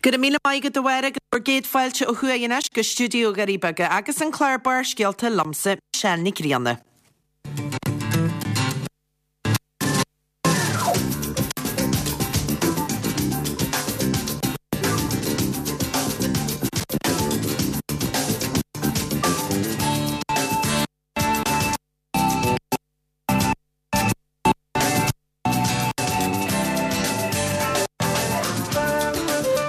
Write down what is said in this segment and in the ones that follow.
Go raibh míle maith agat a Mháire agus bhur gcéad fáilte ó thuaidh anois go stiúideo Dhoirí Beaga agus an clár Barrscéalta liomsa, Michelle Nic Grianna.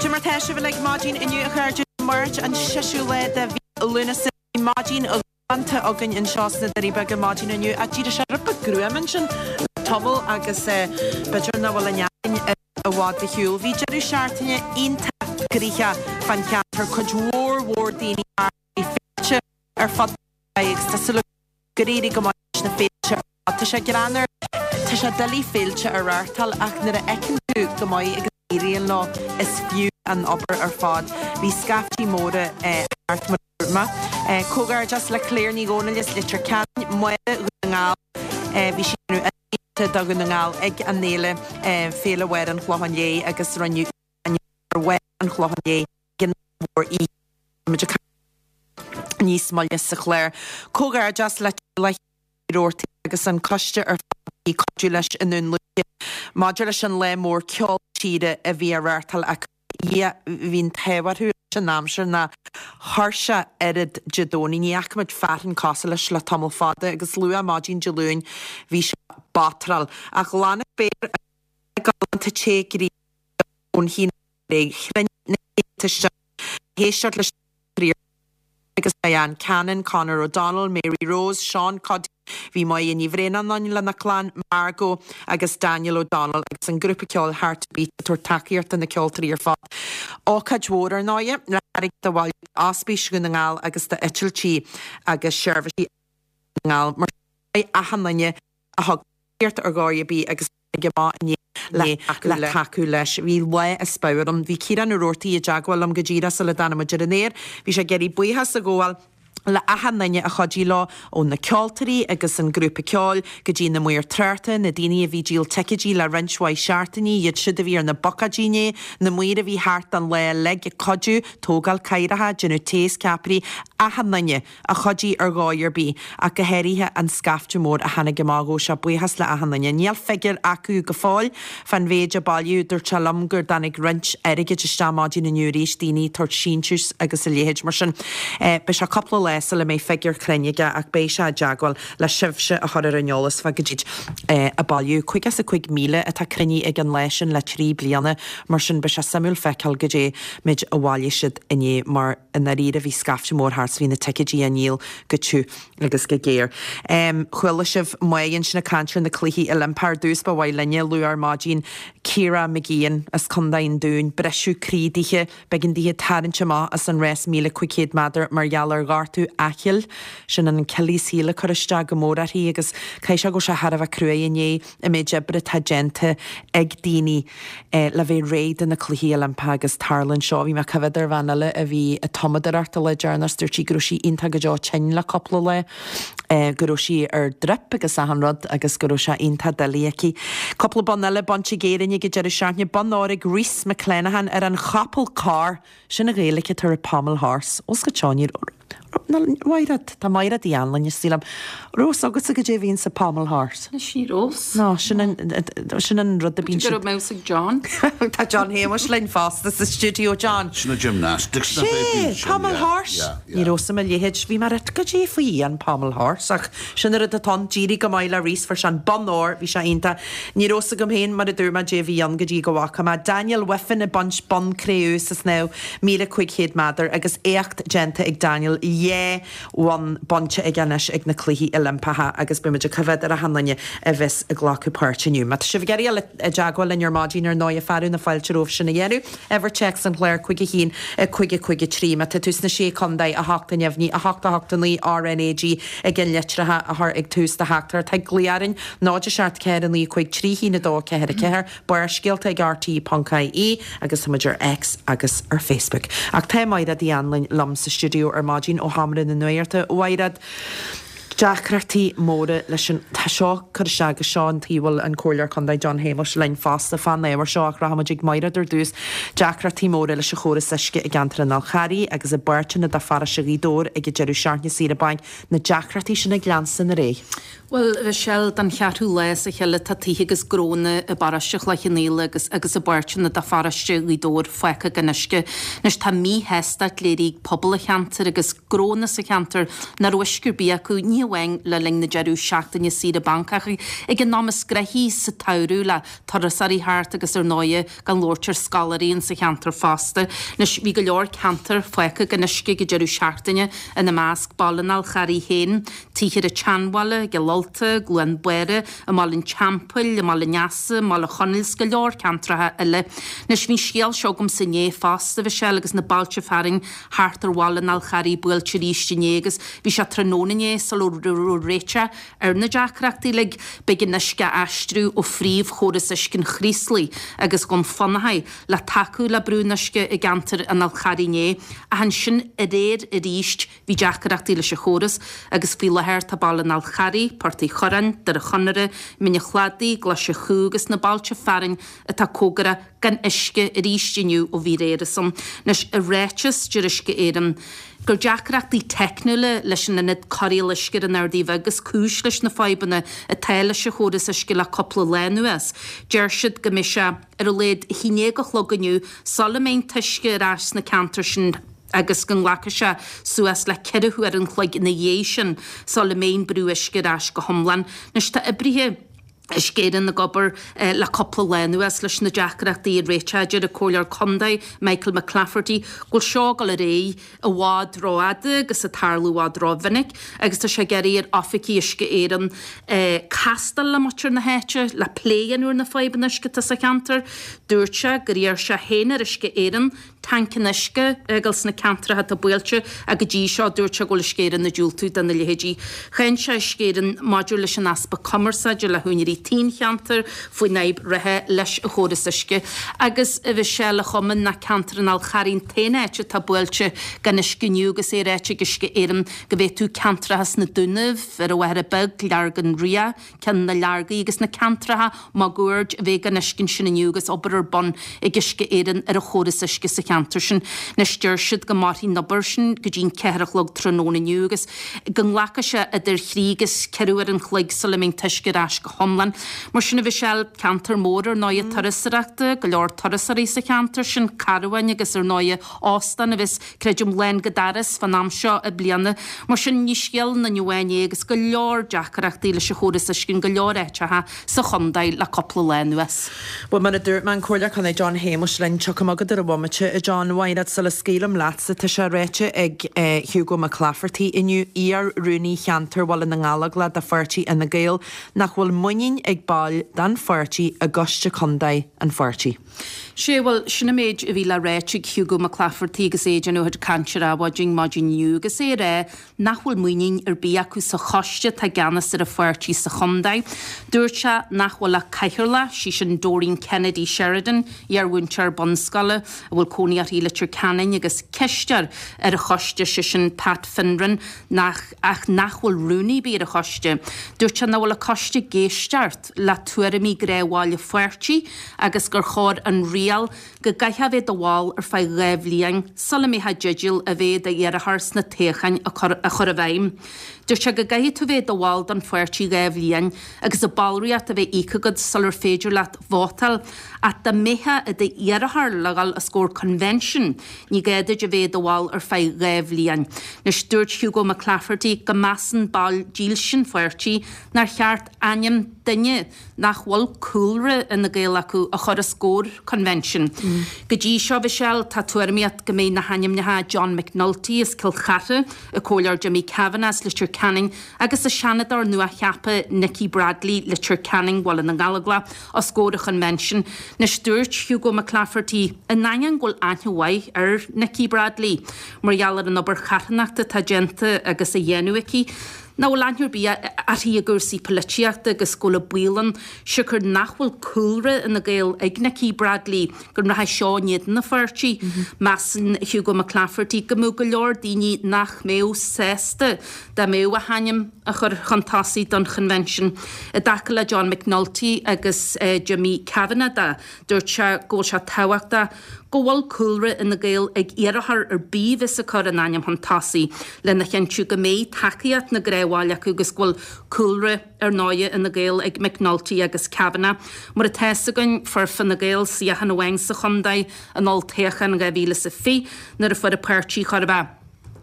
Cad é mar tá sibh uilig maidin inniu a chairde, Máirt an seisiú lá de mhí Lúnasa. Bhí maidin ghalánta againn anseo sna Doirí Beaga maidin inniu ach d'éirigh sé rud beag gruama ansin le tamall agus b'fhéidir nach bhfuil an fhearthainn i bhfad ar shiúl. Bhí deireadh seachtaine iontach gnoitheach fán cheantar, cuid mhór mhór daoine thart, bhí féilte ar fud an chontae agus tá súil agam gur éirigh go maith leis na féilte ar fad. Tá sé greannmhar, tá sé doiligh féilte a reáchtáil ach nuair a fheiceann tú go maith agus go n-éiríonn leo, is fiú an obair ar fad. Bhí scaiftí móra thart mar a dúirt mé. Comhghairdeas le Claire Ní Dhomhnaill as Leitir Ceanainn, Máire Dhún na nGall, bhí sí ag déanamh ionadaíochta do Dhún na Ngall ag an fhéile, Féile Mháire an Chlocháin Léith agus rinneadh ar Mháire an Chlocháin Léith ag an mhór oíche. Muid ag caint níos moille sa chlár. Comhghairdeas le teaghlach Uí Robhartaigh agus an coiste ar fad a bhí ag cuidiú leis i nDún Lúiche maidir leis an lá mór ceol tíre a bhí á reáchtáil acu. Dhia, bhí an t-ádh orthu leis an aimsir nár chuir sé oiread Dé Domhnaigh. Ní fhaca muid fearthainn cosúil leis le tamall fada agus luath maidin Dé Luain bhí sé batráil. Ach ghlan an spéir galánta te gréine ón haon Chruinnigh na céadta isteach le héisteacht leis na ceoltóirí agus Diane Cannon, Conor O'Donnell, Mary Rose, Sean Cuddy, bhí Máire Ní Bhraonáin ann lena clann, Margot agus Daniel O'Donnell agus an grúpa ceoil Heart to Beat ag tabhairt tacaíocht do na ceoltóirí ar fad. Ócáid mhór ar ndóighe, le hairgead a bhailiú d'Ospís Dhún na nGall agus d'Eitiltí agus Seirbhísí Dhún na nGall. Mar sin, achan duine a thug tacaíocht ar dhóigh ar bith agus a tháinig amach inné le tacú leis. Bhí lá as pabhar ann. Bhí Ciarán Ó Robhartaigh i dteagmháil liom go díreach sula dtáinig muid ar an aer. Bhí sé ag iarraidh buíochas a ghabháil le achan duine a chuidigh leo, ó na ceoltóirí agus an grúpa ceoil go dtí na maoir tráchta, na daoine a bhí ag díol ticéidí le roinnt mhaith seachtainí, iad siúd a bhí ar na bocáidí inné, na maoir a bhí thart don lá uilig ag cuidiú, tógáil cathaoireacha, déanamh tae is ceapairí, achan duine. a chuidigh ar dhóigh ar bith, ach go háirithe an scaifte mór a tháinig amach. Ghabh sé buíochas le achan duine. Níl figiúr acu go fóill fán mhéid a bailíodh. Dúirt sé liom gur dtáinig roinnt airgid isteach maidin inniu arís, daoine ag tabhairt síntiús agus a leithéid. Mar sin, beidh sé cúpla lá sula mbeidh figiúr cruinn aige ach beidh sé i dteagmháil le sibhse a chur ar an eolas fá goidé a bailíodh. 55,000 atá cruinnithe ag an lá sin le 3 bliana. Mar sin, beidh sé suimiúil feiceáil goidé méid a bhailigh siad inné mar. I ndáiríre bhí scaifte mór thart 's bhí na ticéidí á ndíol go tiubh agus go géar. Chuala sibh Máire ansin ag caint ar na Cluichí Oilimpeacha. Ar dtús ba mhaith linne a lua ar maidin Ciara Mageean as Contae an Dúin. Briseadh croí dithe, b'éigean dithe tarraingt amach as an rás 1500 méadar mar gheall ar ghortú aichill. Sin an Achilles heel ag cur isteach go mór uirthi agus caithfidh sé go bhfuil sé thar a bheith cruaidh i ndiaidh an méid oibre atá déanta ag daoine le bheith réidh do na Cluichí Oilimpeacha agus tarlaíonn seo. Bhí mé ag coimhéad ar bhean eile a bhí ag tumadóireacht an lá deireanach 's dúirt sí go raibh sí iontach go deo tinn le cúpla lá, go raibh sí ar drip agus achan rud agus go raibh sé iontach doiligh aici. Cúpla bonn eile bainte ag Éirinn ag an deireadh seachtaine, bonn óir ag Rhys McClenaghan ar an chapall corr! Sin an Ghaeilge atá ar pommel horse. Os go teo ní Maighread, tá Maighread Uí Anluain istigh liom. Raibh fhios agatsa goidé a bhíonn sa pommel horse? Anois ní raibh. No, sin an, sin an rud a bíonn siad. Go raibh mé ag John. Tá John Shéamuis linn fosta sa stiúideo, John. Sin na gymnastics na bhí Sé, pommel horse. Ní raibh fhios a'm a leithéid. Bhí mé ag rá goidé faoi an pommel horse ach sin an rud atá ann. D'éirigh go maith le Rhys, fuair sé an bonn óir, bhí sé iontach. Ní raibh fhios agam féin, mar a dúirt mé, goidé a bhí ann go dtí go bhfaca mé Daniel Wiffen ag baint bonn cré-umha sa snámh 1500 méadar agus éacht déanta ag Daniel, dhá bhonn bainte aige anois ag na Cluichí Oilimpeacha agus beidh muid ag coimhéad ar achan duine a bheas ag glacadh páirt inniu. Má tá sibh ag iarraidh dul i dteagmháil linn ar maidin ar ndóighe fearadh na fáilte romhaibh sin a dhéanamh. Uimhir téacs an chláir 5 1 5 5 3. Má tá tú sna Sé Contae, 8 a neamhní, 8 8 9 RNAG ag an litreacha a chur ag tús do theachtaireacht thig glaoch orainn, 0 7 4 9 5 3 1 2 4 4, Barrscéalta ag RTÉ.ie agus tá muid ar X agus ar Facebook. Ach tá Maighread Uí Anluain liom sa stiúideo ar maidin ó Sheomra na Nuachta. A Mhaighread, Deacrachtaí móra leis an, tá seo curtha isteach agus seo an tuige a bhfuil an Comhairleoir Contae John Shéamuis linn fosta fán ábhar seo ach rachaimid ag Maighread ar dtús. Deacrachtaí móra leis an chóras uisce i gceantar an Fhál Charraigh agus i bpáirteanna de pharóiste Ghaoth Dobhair ag an deireadh seachtaine saoire bainc, na deacrachtaí sin ag leanstan ar aghaidh. Bhuel, a Mhichelle, don cheathrú lá as a chéile tá tithe agus gnónna i bparóiste Chloich Cheann Fhaola agus agus i bpáirteanna de pharóiste Ghaoth Dobhair fágtha gan uisce. Anois tá míshástacht léirithe ag pobal an cheantair agus gnónna sa cheantar nach raibh uisce ar bith acu, ní hamháin le linn na deireadh seachtaine saoire bainc ach ag an am is gnoithí sa tsamhradh le turasóirí thart agus ar ndóighe gan labhairt ar scoláirí in sa cheantar fosta. Anois bhí go leor ceantar fágtha gan uisce ag an deireadh seachtaine, ina measc Baile an Fháil Charraigh féin, Tithe ar an tSeanbhaile, i gCill Ulta, i gCluain Bára, i mBaile an Teampaill, i mBaile an Easa, i mBaile Chonaill 's go leor ceantracha eile. Anois bhí an scéal seo agamsa inné fosta, a Mhichelle, agus na bailte fearainn thart ar Bhaile an Fháil Charraigh buailte arís inné agus bhí sé tráthnóna inné sula raibh réiteach ar na deacrachtaí uilig. B'éigean uisce a aistriú ó phríomhchóras uisce an Chraoslaigh agus Dhún Fionnachaidh le tacú le brú an uisce i gceantar an Fháil Charraigh inné ach ansin aréir arís Bhí deacrachtaí leis an chóras agus faoi láthair tá Baile an Fháil Charraigh, Port Uí Churráin, Doire Chonaire, Mín an Chladaigh, Glaise Chú agus na bailte fearainn atá cóngarach gan uisce arís inniu ó bhí aréir ansan. Anois, i ráiteas, deir Uisce Éireann gur deacrachtaí teicniúla leis an ionad cóireála uisce ar an Ardaidh Bheag is cúis leis na fadhbanna atá leis an chóras uisce le cúpla lá anuas. Deir siad go mbeidh sé ar a laghad a haon déag a chlog inniu sula mbeidh an t-uisce ar ais sna ceantair sin. agus go nglacfaidh sé suas le 4 huair an chloig ina dhiaidh sin sula mbeidh an brú uisce ar ais go hiomlán. Anois tá oibrithe Uisce Éireann ag obair le cúpla lá anuas leis na deacrachtaí a réiteach. Deir an Comhairleoir Contae Michael McClafferty go bhfuil seo ag dul ar aghaidh i bhfad rófhada agus ag tarlú i bhfad rómhinic agus tá sé ag iarraidh ar oifigigh Uisce Éireann castáil le muintir na háite le plé a dhéanamh ar na fadhbanna uisce atá sa cheantar. Dúirt sé gur iarr sé féin ar Uisce Éireann tancanna uisce a fhágáil sna ceantracha atá buailte ach go dtí seo dúirt sé go bhfuil Uisce Éireann ag diúltú do na leithéidí. Cháin sé Uisce Éireann maidir leis an easpa cumarsáide le húinéirí tí an cheantair faoin fhadhb reatha leis an chóras uisce. Agus a Mhichelle, a chuma nach ceantar an Fháil Charraigh an t-aon áit atá buailte gan uisce inniu agus é ráite ag Uisce Éireann go bhféadfadh ceantracha sna Dúnaibh, ar an Mhachaire Bheag, Leargan Riach, Ceann na Leargaí agus na ceantracha máguaird a bheith gan uisce ansin inniu agus obair ar bun ag Uisce Éireann ar an chóras uisce sa cheantar sin. Anois deir siad go mairfidh an obair sin go dtí an 4 a chlog tráthnóna inniu agus go nglacfaidh sé idir thrí agus ceithre uair an chloig sula mbeidh an t-uisce ar ais go hiomlán. Mar sin a Mhichelle, ceantar mór ar ndóighe turasóireachta, go leor turasóirí sa cheantar sin, carbháin agus ar ndóighe óstán a bheas creidim lán go doras fán am seo bliana. Mar sin, ní scéal aon duine amháin é agus go leor deacrachtaí leis an chóras uisce in go leor áiteacha sa chontae le cúpla lá anuas. Bhuel, mar a dúirt mé, an Comhairleoir Contae John Shéamuis linn. Tiocfaidh mé chugat ar an bhomaite, a John. Mhaighread, sula scaoilim leatsa, tá sé ráite ag Hugo McClafferty inniu, iar-rúnaí cheantar Bhaile na nGallóglach de pháirtí Fhine Gael, nach bhfuil muinín ag baill den pháirtí i gcoiste contae an pháirtí. Sea, bhuel, sin an méid a bhí le ráit ag Hugo McClafferty agus é ag déanamh a chuid cainte ar Adhmhaidin maidin inniu agus é ag rá nach bhfuil muinín ar bith acu sa choiste atá i gceannas ar an pháirtí sa chontae. Dúirt sé nach bhfuil ach cathaoirleach, sí sin Doreen Kennedy Sheridan, iarmhúinteoir bunscoile a bhfuil cónaí uirthi i Leitir Ceanainn agus cisteoir ar an choiste, sé sin Pat Fineran, nach ach nach bhfuil rúnaí ar bith ar an choiste. Dúirt sé nach bhfuil an coiste ag éisteacht. le tuairimí gnáthbhaill an pháirtí agus gur chóir an riail go gcaithfeá a bheith i do bhall ar feadh 2 bhliain sula mbeifeá i dteideal a bheith i d'iarrthóir sna toghcháin a chur i bhfeidhm. Dúirt sé go gcaithfidh tú bheith i do bhall don pháirtí 2 bhliain agus an ballraíocht a bheith íoctha agat sular féidir leat vótáil ach dá mbeifeá i d'iarrthóir le dhul os comhair convention ní gá duit a bheith i do bhall ar feadh 2 bhliain. Anois dúirt Hugo McClafferty go measann baill dílse an pháirtí nár cheart ainm duine nach bhfuil cúlra Fhine Gael acu a chur os comhair convention. Go dtí seo, a Mhichelle, tá tuairimíocht go mbeidh na hainmneacha John McNulty as Cill Chartha, an Comhairleoir Jimmy Kavanagh as Leitir Ceanainn agus an Seanadóir nua-cheaptha Nikki Bradley, Leitir Ceanainn, Baile na nGallóglach, os comhair an chonvention. Anois dúirt Hugo McClafferty, in ainneoin go bhfuil aithne mhaith ar Nikki Bradley mar gheall ar an obair charthanachta atá déanta agus á dhéanamh aici. Nach bhfuil aithne ar bith uirthi i gcúrsaí poilitíochta agus go bhfuil an baol ann, siocair nach bhfuil cúlra Fhine Gael ag Nikki Bradley, go rachaidh seo in éadan an pháirtí. Measann Hugo McClafferty go mbeadh go leor daoine nach mbeadh sásta dá mbeadh a hainm á chur chun tosaigh don Chonvention. I dtaca le John McNulty agus Jimmy Kavanagh de, dúirt sé go bhfuil sé tábhachtach go bhfuil cúlra Fhine Gael ag iarrthóir ar bith a bheas ag cur a n-ainm chun tosaigh lena chinntiú go mbeidh tacaíocht na ngnáthbhall acu agus go bhfuil cúlra, ar ndóighe, Fhine Gael ag McNulty agus Kavanagh. Mar atá fhios againn, fuair Fine Gael suíochán amháin sa chontae in olltoghchán 2020 nuair a fuair an páirtí chóir a bheith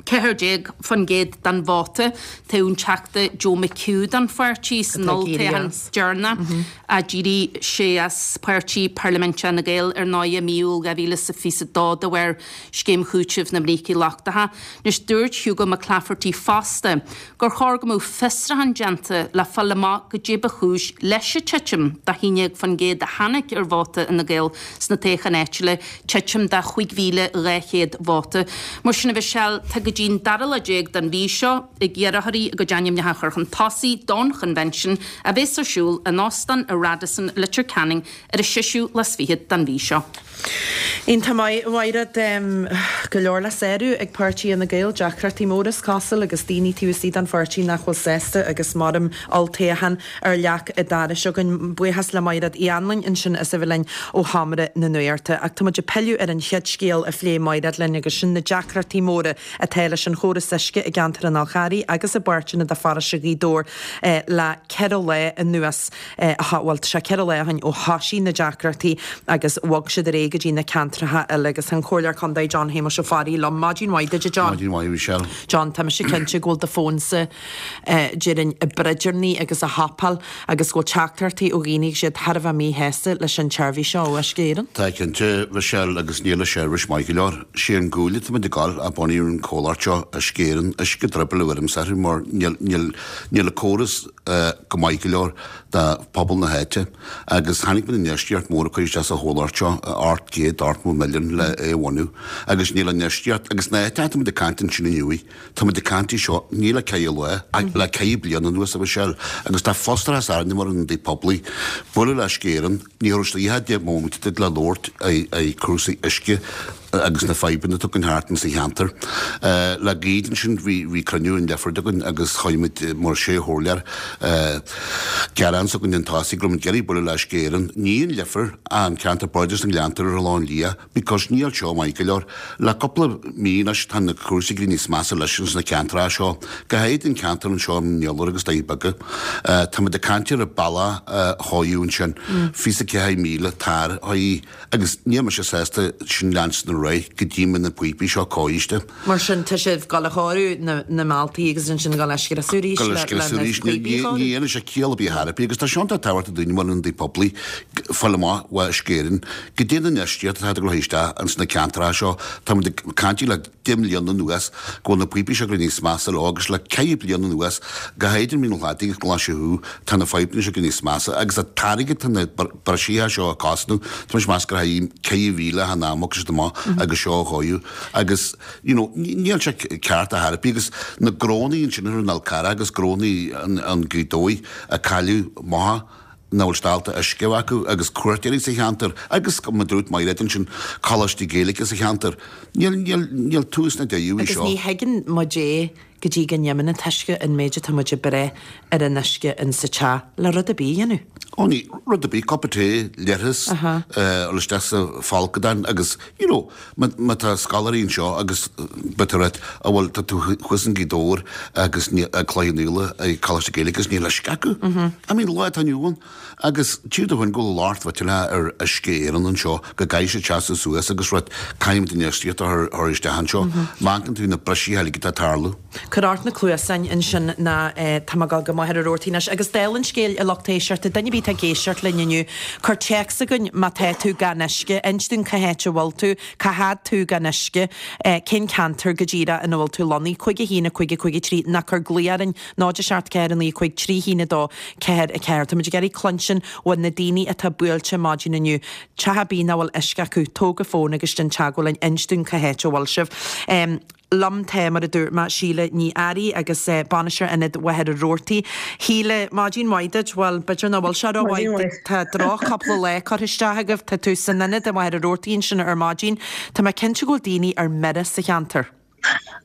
14% den vóta. Toghadh an Teachta Joe McHugh don pháirtí san olltoghchán deireanach. D'éirigh sé as páirtí parlaiminteach Fhine Gael ar ndóighe i mí Iúil 2022 de bharr scéim chúitimh na mbrící lochtacha. Anois dúirt Hugo McClafferty fosta gur chóir go mbeadh fiosrúchán déanta le fáil amach goidé ba chúis leis an titim de 11% a tháinig ar vóta Fhine Gael sna toghcháin áitiúla, titim de 5,200 vóta. Mar sin, a Mhichelle, tá go dtí an dara lá déag den mhí seo ag iarrthóirí a gcuid ainmneacha a chur chun tosaigh don Chonvention a bheas ar siúl in Óstán an Radisson, Leitir Ceanainn ar an seisiú lá is fichead den mhí seo. Iontach maith, a Mhaighread. Go leor le sárú ag páirtí Fhine Gael, deacrachtaí móra is cosúil agus daoine taobh istigh den pháirtí nach bhfuil sásta agus maram olltoghchán ar leac an dorais againn. Buíochas le Maighread Uí Anluain ansin as a bheith linn ó Sheomra na Nuachta. Ach tá muid ag pilleadh ar an chéad scéal a phléigh Maighread linn agus sin na deacrachtaí móra atá leis an chóras uisce i gceantar an Fhál Charraigh agus i bpáirteanna de pharóiste Ghaoth Dobhair le ceithre lá anuas. Bhuel, tá sé 4 lá ó shin ó thoisigh na deacrachtaí agus bhog siad ar aghaidh go dtí na ceantracha eile agus tá an Comhairleoir Contae John Shéamuis Ó Fearraigh liom. Maidin mhaith duit, a John. Maidin mhaith, a Mhichelle. John, tá mise cinnte go bhfuil do fónsa déarfainn ag broidearnaí agus ag hopáil agus go bhfuil teachtaireachtaí ó dhaoine agus iad thar a bheith míshásta leis an tseirbhís seo ó Uisce Éireann. Tá cinnte, Mhichelle, agus níl an seirbhís maith go leor. Sé an guaille atá muid ag gabháil ó bunaíodh an comhlacht seo, Uisce Éireann, uisce driobaill a bheirimse orthu mar níl, níl, níl an córas, go maith go leor do phobal na háite agus tháinig muid infheistíocht mór a chur isteach sa chomhlacht seo, 880 milliún le é a bhunú agus níl an infheistíocht agus na háite atá muid ag caint ansin inniu, tá muid ag caint í seo, ní le ceithre lá ach le ceithre bliana anuas a Mhichelle agus tá frustrachas orainn mar ionadaí poiblí. Bualadh le Uisce Éireann, ní raibh sé 10 móimint duit le labhairt ai cúrsaí uisce agus na fadhbanna atá againn thart insa cheantar. Le gairid ansin bhí cruinniú in Leifear againn agus chuir muid mar sé chomhairleoir gearán s'againn chun tosaigh go raibh muid ag iarraidh bualadh le Uisce Éireann, ní an Leifear, an ceantar bardais na nGleannta ar Oileán Liath because níl seo maith go leor. Le cúpla mí anois tá na cúrsaí ag éirí níos measa leis ins na ceantracha seo, go háirid an ceantar anseo i mBinn Éadair agus Doirí Beaga. Tá muid ag caint ar an bealach a chóiriú ansin, 24,000 tar aghaidh. Agus níl mise sásta sin leanstan ar aghaidh go dtí mbeidh na píopaí seo cóiriste. Mar sin, tá sibh ag dul a chóiriú na mbealtaí agus ansin ag dul a scriosadh arís le na píopaí a chóiriú? Ní dhéanann sé ciall ar bith ar bith agus tá sé iontach tábhachtach dúinne mar ionadaí poiblí fáil amach ó Uisce Éireann goidé an infheistíocht atá ag dul isteach ins na ceantracha seo. Tá muid ag caint le 10 mbliana anuas go bhfuil na píopaí seo ag éirí níos measa leo agus le 4 bliana anuas, go háirid i Mín an Chladaigh agus Coláiste Thuaidh, tá na fadhbanna seo ag éirí níos measa agus an t-airgead tá na briseadh seo ag cosnú, tá mise ag meas gur 4,000 an am agus siad amach agus seo a dhóigh agus you know níl sé ceart ar chor ar bith agus na gnónnaí ansin ar an Fhál Carrach agus gnónnaí an Ghaoth Dobhair a cailleadh maithe nach bhfuil steallta uisce acu agus cuairteoirí sa cheantar agus mar a dúirt Mairéad ansin, coláistí Gaeilge sa cheantar. Níl, níl, níl tús ná deireadh í Agus seo. ní thuigeann muid é go dtí go n-imíonn an t-uisce, an méid atá muid ag brath ar an uisce in sa teach le rud ar bith a dhéanamh. Ó ní, rud ar bith, cupa tae, leithreas, dul isteach sa bhfolcadán agus, you know, Má tá scoláirí anseo agus b'fhéidir rud a bhfuil, tá tú thuas in Gaoth Dobhair agus ag Cloich Cheann Fhaola ag Coláiste Gaeilge agus níl uisce acu. I mean, lá atá inniu ann. Agus tchífidh tú féin go bhfuil locht mhillteanach ar Uisce Éireann anseo go gcaithfidh siad seasamh suas agus rud, caithfidh muid infheistíocht a chur isteach anseo. Má amharcann tú na briseadh uilig atá ag tarlú. Cuir ort na cluasáin ansin ná tá mé ag dul go Machaire Rabhartaigh anois. Agus dála an scéil, a lucht éisteachta, duine ar bith atá ag éisteacht linn inniu, cuir téacs chugainn má tá tú gan uisce, inis dúinn cá háit a bhfuil tú, cá fhad tú gan uisce, cén ceantar go díreach ina bhfuil tú lonnaithe, 5 1 5 5 3, ná cuir glao orainn, 0 7 4 9 5 3 1 2 4 4. Tá muid ag iarraidh cluinstin ó na daoine atá buailte maidin inniu. Teach ar bith nach bhfuil uisce acu, tóg an fón agus déan teagmháil linn, inis dúinn cá háit a bhfuil sibh. Liom tá, mar a dúirt mé, Síle Ní Fhearraigh agus Bainisteoir Ionad Mhachaire Rabhartaigh. Shíle, maidin mhaith duit. Bhuel, b'fhéidir nach bhfuil sé rómhaith. Tá droch-chúpla lá curtha isteach agaibh. Tá tú san ionad i Machaire Rabhartaigh ansin ar maidin. Tá mé cinnte go bhfuil daoine ar mire sa cheantar.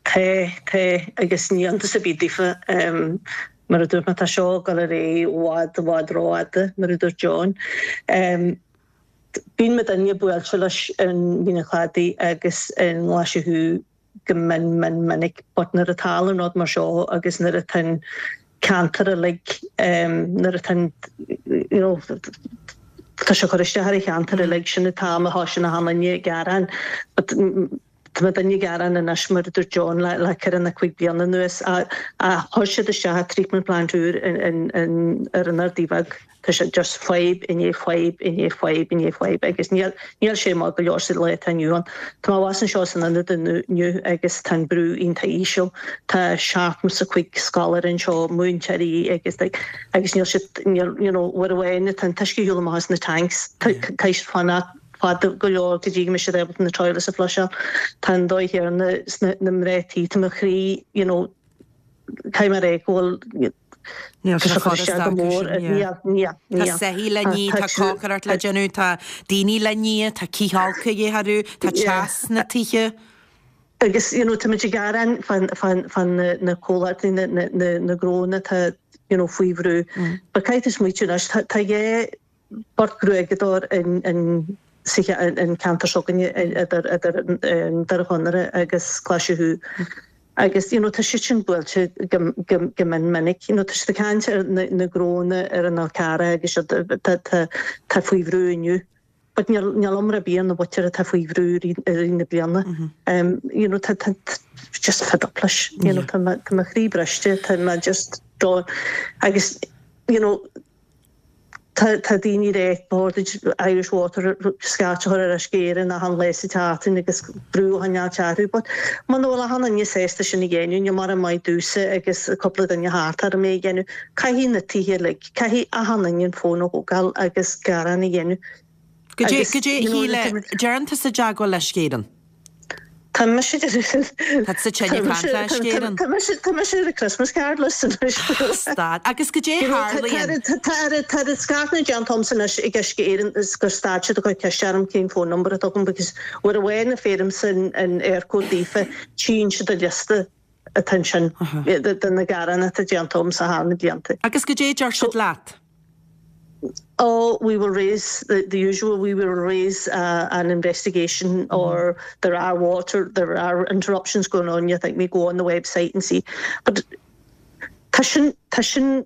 Tá, tá, agus ní iontas ar bith daofa. Mar a dúirt mé, tá seo ag dul ar aghaidh i bhfad, i bhfad rófhada, mar a dúirt John. Bíonn muidinne buailte leis an Mín an Chladaigh agus i nGlaise Thuaidh go mion mion minic but nuair a tarlaíonn rud mar seo agus nuair atá an ceantar uilig nuair atá an you know tá sé ag cur isteach ar an cheantar uilig sin an t-am a thosaíonn achan duine ag gearán but Tá muidinne ag gearán anois, mar a dúirt John, le ceithre nó 5 bliana anuas. Chuir siad isteach treatment plant úr ar an Ardaidh Bheag. Tá sé just fadhb i ndiaidh fadhb i ndiaidh fadhb i ndiaidh fadhb agus níl sé maith go leor sa lá atá inniu ann. Tá mé abhus anseo san ionad inniu agus tá an brú iontach íseal. Tá 75 scoláire anseo, múinteoirí agus agus níl siad, níl, you know, uair amháin atá an t-uisce ar shiúl amach as na tanks, caithfidh siad fanacht fada go leor go dtí go mbeidh siad ábalta na toilets a flusháil. Tá an dóigh chéanna sna na mná tí, tá mo chroí, you know, caithfidh mé a rá go bhfuil Níl sé furasta acu sin, yeah. Níl, níl, níl. Tá soithí le ní, tá cócaireacht le déanamh, tá daoine le ní, tá cithfholcadh a dhíth orthu, tá teas sna tithe. Agus, you know, táimid ag gearán fá, fá, fá na, na comhlachtaí, na, na, na, na gnónna atá, you know, faoi bhrú. But caithfidh tú smaoitiú anois, tá, tá dhá, Beirt ghruaigeadóir in sa cheantar seo againne idir Doire Chonaire agus Glaise Thuaidh agus you know tá siad sin buailte go go mion minic. You know tá siad ag caint ar na na gnónna ar an Fhál Carrach agus siad tá tá tá faoi bhrú inniu. But níl níl iomrá ar bith ar na mhuintir atá faoi bhrú i rith na bliana. You know tá tá just fed up leis. You know tá tá mo chroí briste, tá mé just done agus you know Tá daoine ag rá ba chóir duit Irish Water scairt a chur ar Uisce Éireann achan lá sa tseachtain agus brú a choinneáilt orthu but muna bhfuil achan duine sásta sin a dhéanamh, níl mórán maith domhsa agus cúpla duine thart orm é a dhéanamh. Caithfidh na tithe uilig, caithfidh achan duine an fón a thógáil agus gearán a dhéanamh. Goidé, goidé a Shíle, deireann tusa i dteagmháil le Uisce Éireann? Tá mise Tá tusa tinn ag caint le Uisce Éireann. Tá mise tá mise ar an Christmas card list anois. Stad. Agus goidé a tharlaíonn? Tá tá an scairteanna déanta agamsa anois ag Uisce Éireann is gur stad siad ag cur ceiste orm cén phone number atá agam because uair amháin a faighimse an Eircode daofa tchíonn siad an liosta atá ansin de na gearáin atá déanta agamsa thar na blianta. Agus goidé a deir siad leat? Oh, we will raise the, the usual, we will raise uh, an investigation or there are water, there are interruptions going on, you think we go on the website and see. But tá sin, tá sin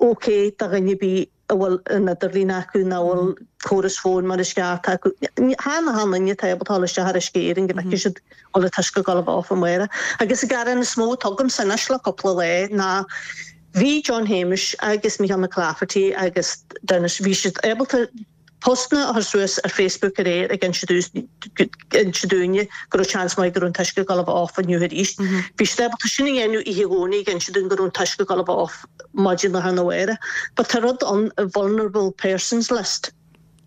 ok do dhuine ar bith a bhfuil an idirlíon acu nó a bhfuil córas fóin mar is ceart acu. Chan achan duine atá ábalta dul isteach ar Uisce Éireann go bhfeicfidh siad go bhfuil an t-uisce ag dul a bheith off amárach. Agus an gearán is mó atá agamsa anois le cúpla lá ná bhí John Shéamuis agus Micheál McClafferty agus Denis, bhí siad ábalta postanna a chur suas ar Facebook aréir ag inse inse dúinne go raibh seans maith go raibh an t-uisce ag dul a bheith off inniu arís. Bhí siad ábalta sin a dhéanamh oíche Dhomhnaigh ag inse dúinn go raibh an t-uisce ag dul a bheith off maidin lá arna mhárach. But tá rud ann, vulnerable persons list,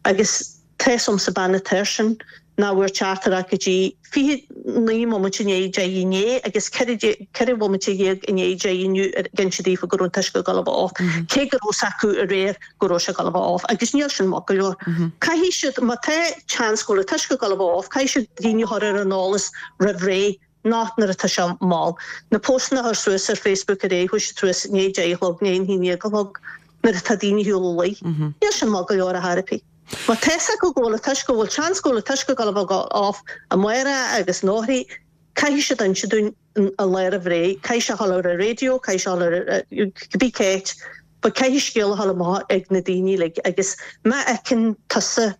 agus tá 'fhios a'msa bean atá air sin nach bhfuair teachtaireacht go dtí 29 bhomaite i ndiaidh 10 inné agus 14 bhomaite i ndiaidh 10 inniu ag inse daofa go raibh an t-uisce ag dul a bheith off, cé go raibh 'fhios acu aréir go raibh sé ag dul a bheith off agus níl sin maith go leor. Caithfidh siad, má tá chance go bhfuil an t-uisce ag dul a bheith off, caithfidh siad daoine a chur ar an eolas roimh ré, not nuair atá sé mall. Na postanna a chur suas ar Facebook aréir, chuaigh siad suas i ndiaidh 10 a chlog, i ndiaidh a haon déag a chlog, nuair atá daoine ar shiúl a luí. Níl sin maith go leor ar chor ar bith. Má tá 'fhios acu go bhfuil an t-uisce, go bhfuil seans go bhfuil an t-uisce ag dul a bheith off amárach agus anóirthí, caithfidh siad inse dúinn an lá roimh ré, caithfidh sé a dhul ar an raidió, caithfidh sé a dhul ar cibé cá háit, but caithfidh scéal a dhul amach ag na daoine uilig agus má fheiceann tusa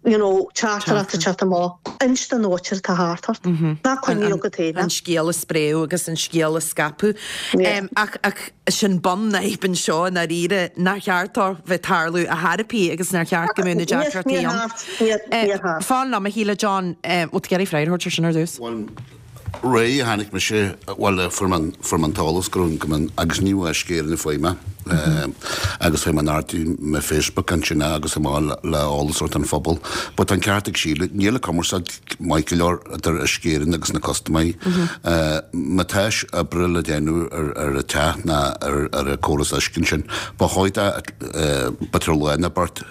you know, teachtaireacht ag teacht amach, inis don mhuintir atá thart ort. Ná coinnigh agat féin é. An scéal a spréadh agus an scéal a scaipeadh. Ach, ach sin bun na faidhbe anseo i ndáiríre, nár cheart dó bheith ag tarlú ar chor ar bith agus nár cheart go mbeadh na deacrachtaí ann. Fan liom a Shíle, John, bhfuil tú ag iarraidh freagra a thabhairt ar sin ar dtús? Bhuel, roimh a tháinig mise, bhuel, fuair mé an, fuair mé an t-eolas go raibh, go mbeadh, agus ní bheadh Uisce Éireann ag fáil mé. Agus tá mé in airde mo Facebook ansin agus tá mé le eolas a thabhairt don phobal. But tá an ceart ag Síle, níl an cumarsáid maith go leor idir Uisce Éireann agus na custaiméirí. Má tá oibre le déanamh ar an teach ná ar an córas uisce ansin, ba chóir b'fhéidir lá nó beirt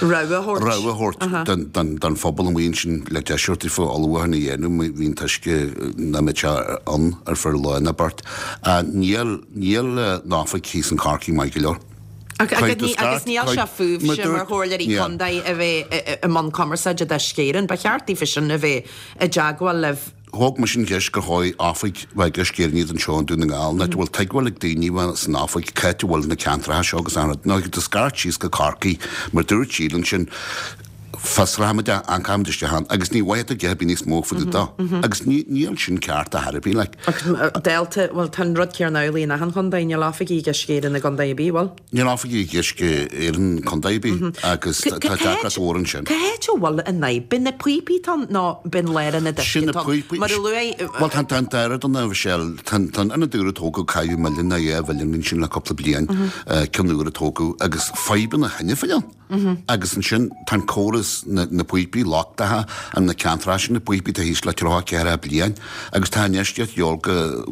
rogha a thabhairt. Rogha a thabhairt don phobal amuigh ansin le deis a thabhairt daofa ullmhúchán a dhéanamh má bhíonn an t-uisce nach mbeidh sé ann ar feadh lá nó beirt. Níl níl an oifig thíos in Corcaigh maith go leor. Agus níl sé fúibhse mar chomhairleoirí contae a bheith i mbun cumarsáide d'Uisce Éireann. Ba cheart daofa sin a bheith i dteagmháil libh. Thóg mise an cheist gur chóir oifig bheith ag Uisce Éireann iad anseo i nDún na nGall. Nach bhfuil tuigbheáil ag daoine bheith san oifig cá háit a bhfuil na ceantracha seo agus an rud. Nó do scairt síos go Corcaigh mar dúirt Síle ansin fiosróimid é, amharcfaimid isteach ann agus ní bhfaighidh tú a dhath ar bith níos mó faoi do agus níl sin ceart ar chor ar bith like. Ach dálta, bhuel tá an rud céanna amhlaidh in achan chontae, níl oifigí ag Uisce Éireann i gcontae ar bith, bhfuil? Níl oifigí ag Uisce Éireann i gcontae ar bith agus tá deacracht mhór ansin. Cá háit a bhfuil an fhadhb? B'in na píopaí atá ann nó b'in lárionad uisce Sin na atá ann? píopaí. Mar a luaigh. Bhuel tá an dara don a Mhichelle, tá an ionad úr a tógadh caitheadh milliún nó 2 mhilliún ansin le cúpla bliain, ceann úr a tógadh agus fadhbanna cheana féin ann. Agus ansin tá an córas, na píopaí lochtacha in na ceantracha sin, na píopaí atá thíos le 30, 40 bliain agus tá infheistíocht de dhíobháil go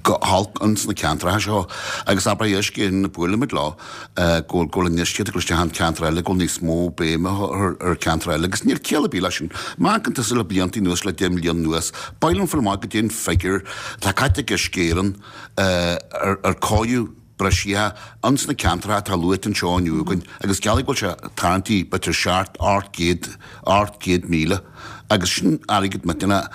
go holc ins na ceantracha seo agus abair Uisce Éireann buailimid leo go bhfuil go bhfuil infheistíocht ag dul isteach in ceantar eile, go bhfuil níos mó béime ar ar ceantar eile agus níl ciall ar bith leis sin. Má amharcann tusa le blianta anuas, le 10 mbliana anuas, b'fhearr liom fáil amach goidé an figiúr atá caite ag Uisce Éireann ar ar cóiriú briseadh ins na ceantracha atá luaite anseo inniu againn agus geallaigh go bhfuil sé tarraingtí b'fhéidir seacht, 800, 800,000 agus sin airgead millteanach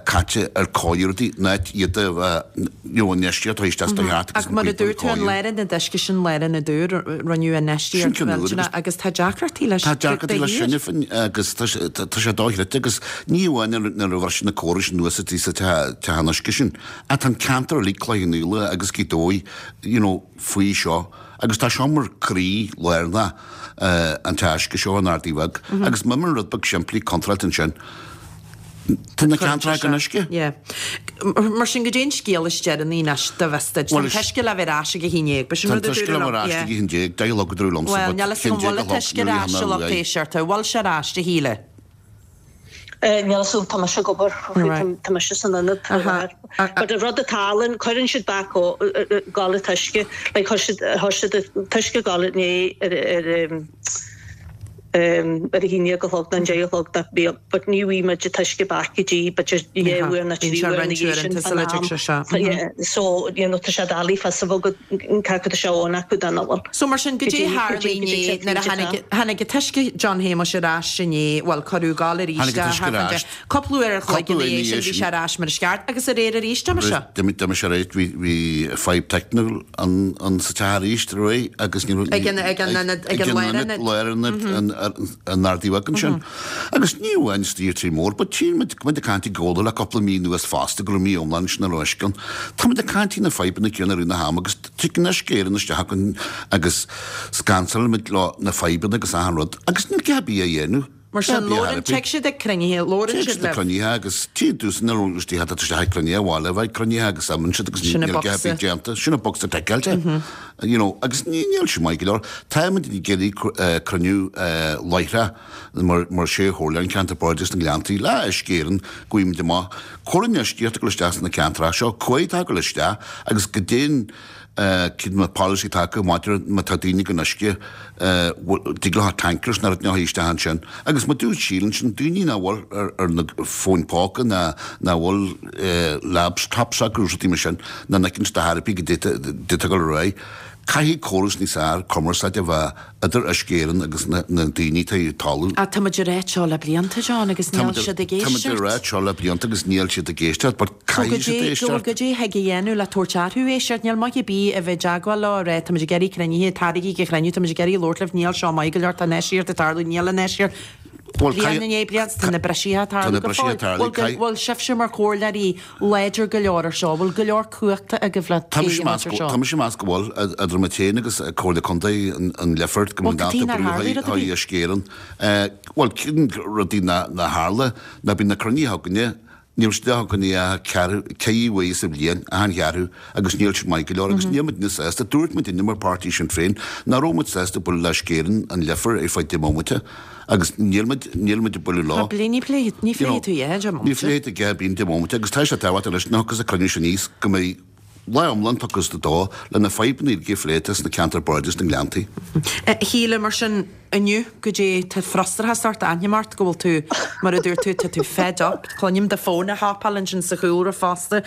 caite ar cóiriú rudaí in áit iad a bheith you know infheistíocht a thabhairt isteach do theacht agus Ach mar a dúirt tú an lárionad uisce sin lárionad úr rinneadh infheistíocht mhillteanach agus tá deacrachtaí leis Tá deacrachtaí leis sin féin agus tá sé dochreidte agus ní amháin nuair a bhriseadh na córais anuas sa teach an uisce sin Ach tá an ceantar uilig, Cloich Cheann Fhaola agus Gaoth Dobhair, you know, faoi seo agus tá seo mar croí lárnach an teach uisce seo in Ardaidh Bheag agus má imíonn rud beag simplí contráilte ansin, tá na ceantracha gan uisce. Yeah. Mar sin goidé an scéal is deireanaí anois do bhfios duit. Tá an t-uisce le bheith ar ais ag a haon déag. B'shin rud a dúradh liom. Tá an t-uisce le bheith ar ais ag a haon déag, deich a chlog a dúradh liomsa Bhuel, níl a fhios agam bhfuil an t-uisce ar ais a lucht éisteachta. Bhfuil sé ar ais, a Shíle? Níl a fhios agam, tá mise ag obair, tá mise san ionad faoi láthair. But an rud atá ann, cuireann siad back gabháil an t-uisce, like chuir siad, chuir siad an t-uisce ag gabháil inné ar, ar, ar a haon déag a chlog nó an deich a chlog nach bíodh, but ní bhfaighidh muid an t-uisce back go dtí b'fhéidir dhá uair nó trí uair ina dhiaidh sin fán am. So, you know, tá sé doiligh fios a bheith agat cé acu tá sé ann acu nó nach bhfuil. So mar sin, goidé a tharla inné nuair a tháinig, tháinig an t-uisce John Shéamuis ar ais inné, bhuel cuireadh ag gabháil arís Tháinig an t-uisce ar ais. Cúpla uair an chloig ina dhiaidh sin bhí sé ar ais mar is ceart agus aréir arís d'imigh sé. D'imigh sé arís, bhí, bhí fadhb teicniúil an, an sa teach arís aréir agus ní raibh, Ag an, ag an ionad, ag an lárionad. Lárionad an, an Ardaidh Bheag ansin. Agus ní amháin istigh ar Tír Mór, but tchíonn muid, muid ag caint i gComhla le cúpla mí anuas fosta go raibh mí iomlán ansin nach raibh uisce ann. Tá muid ag caint faoi na fadhbanna céanna i rith na hama agus tigeann Uisce Éireann isteach againn agus scansálann muid leo na fadhbanna agus achan rud agus níl a dhath ar bith á dhéanamh. Mar sin, labhrann, tig siad ag cruinnithe, labhrann siad libh. Tig siad ag cruinnithe agus tchíonn tusa na istigh tá isteach ag cruinnithe abhaile a bheith ag cruinnithe agus imíonn siad agus níl a dhath ar bith déanta. Sin an bocsa ticeáilte. You know, agus níl sin maith go leor. Táimid ag iarraidh cruinniú láithreach mar mar sé chomhairle an cheantair Bardais na nGleanntaí le Uisce Éireann go bhfaighimid amach cá bhfuil an infheistíocht ag dul isteach sna ceantracha seo, cá bhfuil atá ag dul isteach agus goidé cén polasaí atá acu maidir má tá daoine gan uisce dtig leo tankers nó rud a chur isteach ansin agus mar dúirt Síle ansin daoine nach bhfuil ar na fóin póca ná nach bhfuil laptops acu rudaí mar sin nach bhfeiceann siad ar bith goidé atá ag dul ar aghaidh. Caithfidh córas níos fearr cumarsáide a bheith idir Uisce Éireann agus na daoine atá ag talamh. Ach tá muid ag ráit seo le blianta, John, agus níl siad ag éisteacht. Tá muid ag ráit seo le blianta agus níl siad ag éisteacht, but caithfidh siad éisteacht. Goidé a thig a dhéanamh le tabhairt orthu éisteacht? Níl maith ar bith a bheith i dteagmháil leo ag rá tá muid ag iarraidh cruinnithe, taraigí go chruinniú, tá muid ag iarraidh labhairt libh, níl seo maith go leor, tá infheistíocht ag tarlú, níl infheistíocht. Bliain i ndiaidh bliana, tá na briseadh ag tarlú go fóill. Bhfuil sibhse mar chomhairleoirí láidir go leor ar seo? Bhfuil go leor cumhachta agaibh le plé a dhéanamh ar seo? Tá mise ag meas go bhfuil, idir muid féin agus Comhairle Contae an Lifeart, go mbíonn dalta brú chuig Uisce Éireann. Bhuel, cinn rudaí nár tharla, ná bíonn na cruinnithe againne. Níl siad againn ach ceathrú, ceithre uair sa bhliain, achan cheathrú agus níl siad maith go leor agus níl muidne sásta. Dúirt muidne mar páirtí Sinn Féin nach raibh muid sásta bualadh le Uisce Éireann an Leifear ar feadh 10 mbomaite agus níl muid, níl muid ag bualadh leo. Ní phléifidh tú a 10 mbomaite. Ní phléifidh tú a bíonn 10 mbomaite agus tá sé tábhachtach leis nach agus a cruinniú sin aníos go mbeidh lá iomlán tugtha dó le na fadhbanna uilig a phlé sna ceantair bardais na nGleanntaí. A Shíle, mar sin, inniu, goidé, tá frustrachas ort, aithním ort go bhfuil tú, mar a dúirt tú, tá tú fed up, cluinim do fón ag hopáil ansin sa chúlra fosta.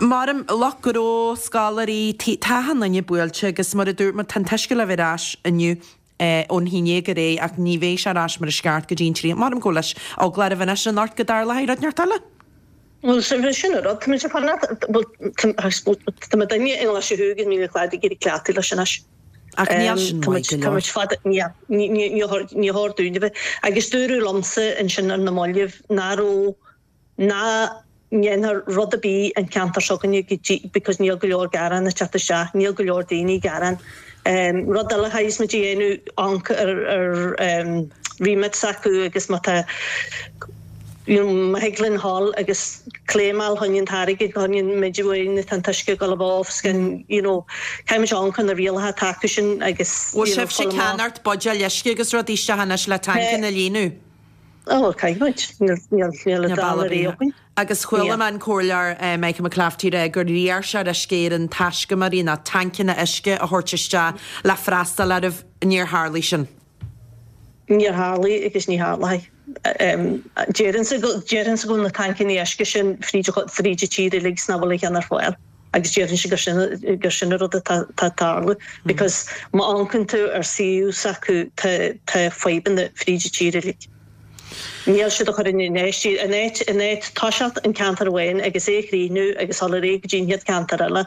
Maram, lucht gnó, scoláirí, tá achan duine buailte agus mar a dúirt muid, tá an t-uisce le bheith ar ais inniu ón haon dhéag ar aghaidh ach ní bheidh sé ar ais mar is ceart go dtí an tríocha. Maram go bhfuil eagla oraibh anois anocht go dtarlóidh rud inteacht eile. Bhuel, sin an rud, tá muid ag fanacht, bhuel, tá mo duine i nGlaise Thuaidh agus Mín an Chladaigh ag iarraidh cleachtadh leis anois. Ach níl sin maith go leor. Tá muid fada, níl, ní chóir dúinn a bheith. Agus dúradh liomsa ansin ar na mallaibh nach raibh, nach ndéanfar rud ar bith an ceantar seo againne go dtí, because níl go leor gearán ag teacht isteach, níl go leor daoine ag gearán. Rud eile a chaithfeas muid a dhéanamh, amharc ar remit s'acu agus má tá, you know, má thig linn dhul agus claimeáil chun an t-airgead, chun an méid uain atá an t-uisce ag dul a bheith off, scan, you know, caithfidh muid amharc ar na rialacha atá acu sin agus, Bhfuil you know, sibhse ag ceannacht buidéil uisce agus rudaí isteach anois le tancanna a líonadh? Ó, caithfidh muid. Níl, níl, níl an dara rogha againn. Agus chuala mé an Comhairleoir Michael McClafferty ag rá gur iarr sé ar Uisce Éireann taiscumairí nó tancanna uisce a thabhairt isteach le freastal oraibh. Níor tharlaigh sin. Níor tharlaigh agus ní tharlóidh. Déarfainnse go, déarfainnse go bhfuil na tancanna uisce sin fríd, fríd an tír uilig is nach bhfuil aon cheann ar fáil agus déarfainnse gur sin, gur sin an rud atá, atá ag tarlú because má amharcann tú ar suíomh s'acu tá, tá fadhbanna fríd an tír uilig. Níl siad ag cur an infheistíocht, in áit, in áit toiseacht an ceantar amháin agus é a chríochnú agus dul ar aghaidh go dtí an chéad ceantar eile.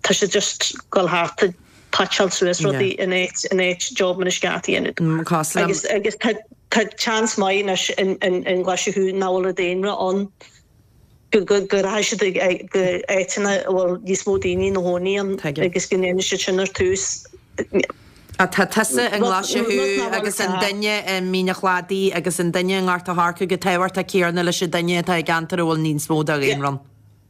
Tá siad just ag dul thart ag patcháil suas rudaí in áit in áit job mar is ceart a dhéanamh. Agus agus tá tá seans maith anois in in in nGlaise Thuaidh nach bhfuil an daonra ann go go go rachaidh siad ag go áiteanna a bhfuil níos mó daoine ina gcónaí ann agus go ndéanfaidh siad sin ar tús. Tá tusa i nGlaise Thuaidh agus an duine i Mín an Chladaigh agus an duine i nGort a' Choirce chomh tábhachtach céanna leis an duine atá i gceantar a bhfuil níos mó de dhaonra ann.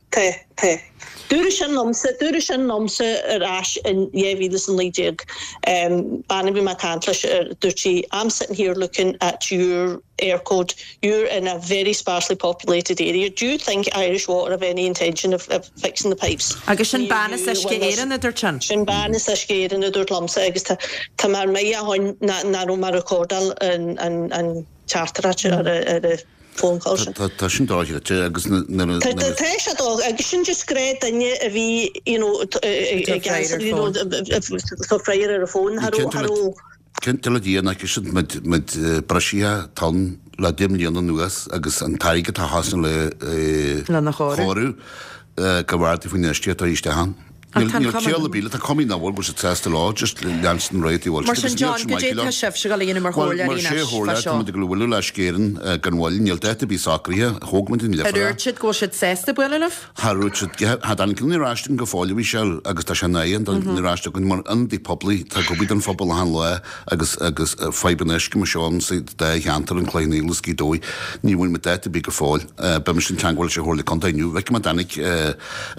Tá, tá. Dúradh sin liomsa, dúradh sin liomsa ar ais in 2019, bean a bhí mé ag caint leis, dúirt sí, I'm sitting here looking at your Eircode, you're in a very sparsely populated area, do you think Irish Water have any intention of fixing the pipes? Agus sin bean as Uisce Éireann a dúirt sin? Sin bean as Uisce Éireann a dúirt liomsa agus tá, tá mé ar mire ó shin nach raibh mé ag recordáil an, an, an teachtaireacht ar a, ar a, phone call sin. Tá sin dochreidte agus nuair a. Tá sé dó agus sin just gnáth duine a bhí you know ag answer you know ag freagairt ar an bhfón cha raibh cha raibh. Cinnte le Dia nach siad muid muid breisithe tonn le 10 mbliana anuas agus an t-airgead atá thosnaithe le Lena chóiriú. chóiriú go bhfearr faoin infheistíocht atá isteach ann. Níl ciall ar bith le, tá cuma nach bhfuil, go bhfuil siad sásta leo, just leanstan ar aghaidh Mar sin John, goidé tá sibhse ag dul a dhéanamh mar chomhairleoirí anois fá seo? Tá muid ag dul a bhualadh le Uisce Éireann gan mhoill, níl dáta ar bith socraithe, thóg muid an Ar dhúirt siad go bhfuil siad sásta bualadh libh? Char dhúirt siad, cha dtáinig an ar ais againn go fóill a Mhichelle agus tá sé in am don ar ais againn mar ionadaí poiblí, tá ag obair don phobal achan lá agus agus fadhbanna uisce mar seo ann sa dá cheantar, an Cloich Cheann Fhaola is Gaoth Dobhair, ní bhfuair muid dáta ar bith go fóill. Beidh mise in teangmháil leis an Chomhairle Contae inniu, feicfidh mé an dtáinig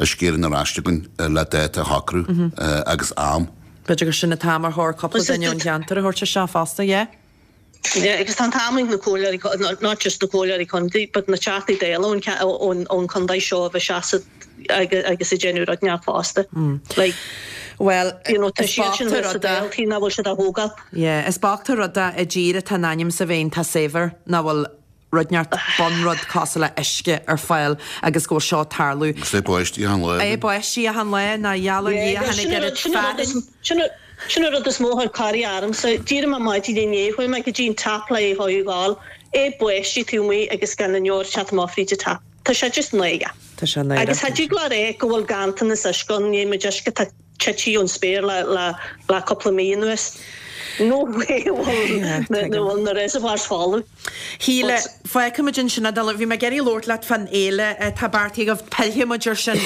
Uisce Éireann ar ais chugainn le dáta a shocrú agus am. B'fhéidir gur sin an t-am ar chóir cúpla duine ón cheantar a thabhairt isteach fosta, yeah? Yeah, agus tá an t-am ag na comhairleoirí, not just na comhairleoirí contae, but na Teachtaí Dála ón ón chontae seo a bheith seasamh agus ag déanamh rud inteacht fosta. Like, Well, you know, tá siad sin sa Dáil, nach bhfuil siad á thógáil. Yeah, is bocht an rud é i dtír atá in ainm is a bheith iontach saibhir nach bhfuil rud inteacht, bunrud cosúil le uisce ar fáil agus go bhfuil seo ag tarlú. Agus é báistí achan lá. É báistí achan lá, nár gheall ar Dhia tháinig oiread fearthainn. Sin an rud is mó a chuir corraí ormsa. D'éirigh mé maidin inné, chuaigh mé go dtí an tap le é a thógáil, é báistí taobh amuigh agus gan an deoir ag teacht amach fríd an tap. Tá sé just náireach. Tá sé náireach. Agus cha dtig leat a rá go bhfuil ganntanas uisce ann, níl muid uisce atá tite ón spéir le le cúpla mí anuas. No way bhfuil na reservoirs folamh. Shíle, fágfaimid ansin é. Bhí mé ag iarraidh labhairt leat fán fhéile atá beartaithe agaibh. Pillfidh muid ar sin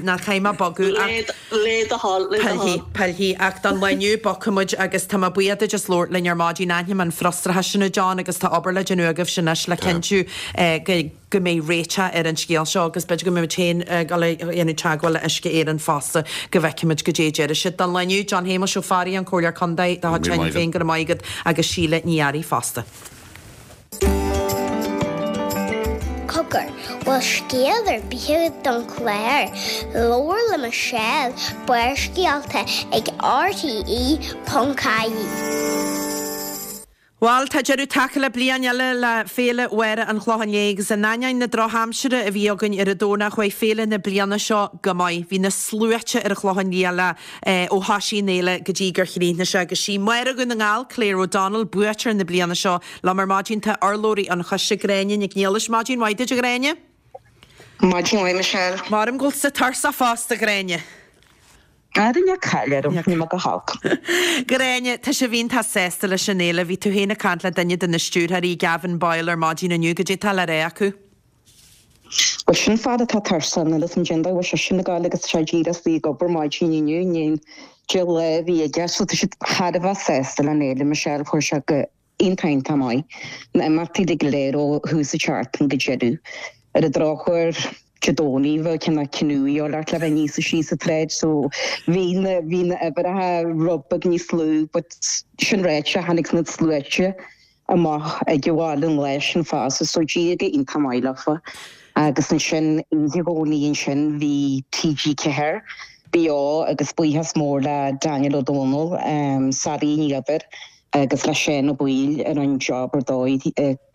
ná caithfidh mé bogadh ach. Le do thoil, le do thoil. Pillfidh, pillfidh. Ach don lá inniu bogfaidh muid agus tá mé buíoch duit as labhairt linn ar maidin. Aithním an frustrachas sin a John agus tá obair le déanamh agaibhse anois le cinntiú go go mbeidh réiteach ar an scéal seo agus b'fhéidir go mbeidh muid féin ag dul a dhéanamh teagmháil le Uisce Éireann fosta go bhfeicfidh muid goidé a déarfaidh siad. Don lá inniu, John Shéamuis Ó Fearraigh, an Comhairleoir Contae de chuid Shinn Féin, go raibh maith agat agus Síle Ní Fhearraigh fosta. Cogar, bhfuil scéal ar bith agat don chlár? Labhair le Michelle, Barrscéalta ag rte.ie. Bhuel, tá deireadh tagtha le bliain eile le Féile Mháire an Chlocháin Léith agus in ainneoin na drochaimsire a bhí againn ar an Domhnach chuaigh féile na bliana seo go maith. Bhí na sluaite ar an Chlochán Liath le ó thoisigh an fhéile go dtí gur chríochnaigh sé agus sí Máire Dhún na nGall, Claire O'Donnell, buaiteoir na bliana seo. Liom ar maidin tá urlabhraí an choiste, Gráinne Nic Niallais. Maidin mhaith duit a Ghráinne. Maidin mhaith Michelle. Maram go bhfuil tusa tuirseach fosta a Ghráinne. Ara níl caill orm, níl mé go holc. Gráinne, tá sibh iontach sásta leis an fhéile. Bhí tú féin ag caint le duine de na stiúrthóirí, Gavin Boyle, ar maidin inniu. Goidé atá le rá acu? Bhuel, sin fear atá tuirseach, níl fhios a'm cén dóigh a bhfuil seisean ag gabháil agus tá sé díreach istigh ag obair maidin inniu, i ndiaidh an lá a bhí aige. So tá siad thar a bheith sásta le an fhéile, Michelle, chuir sé go iontach iontach maith. Na imeachtaí uilig go léir ó thús an tseachtain go deireadh. Ar an drochuair, Dé Domhnaigh bheadh cineál cnú a dhíobháil ort le bheith aníos is síos an tsráid so bhí na bhí na uimhreacha rud beag níos lú but sin ráite tháinig na sluaite amach ag an bhaile an lá sin fosta so d'éirigh go iontach maith leofa. Agus ansin oíche Dhomhnaigh ansin bhí TG4 beo agus buíochas mór le Daniel Ó Dónaill, Sally Ní Dhuibhir, agus le Seán Ó Baoill a rinne job ar dóigh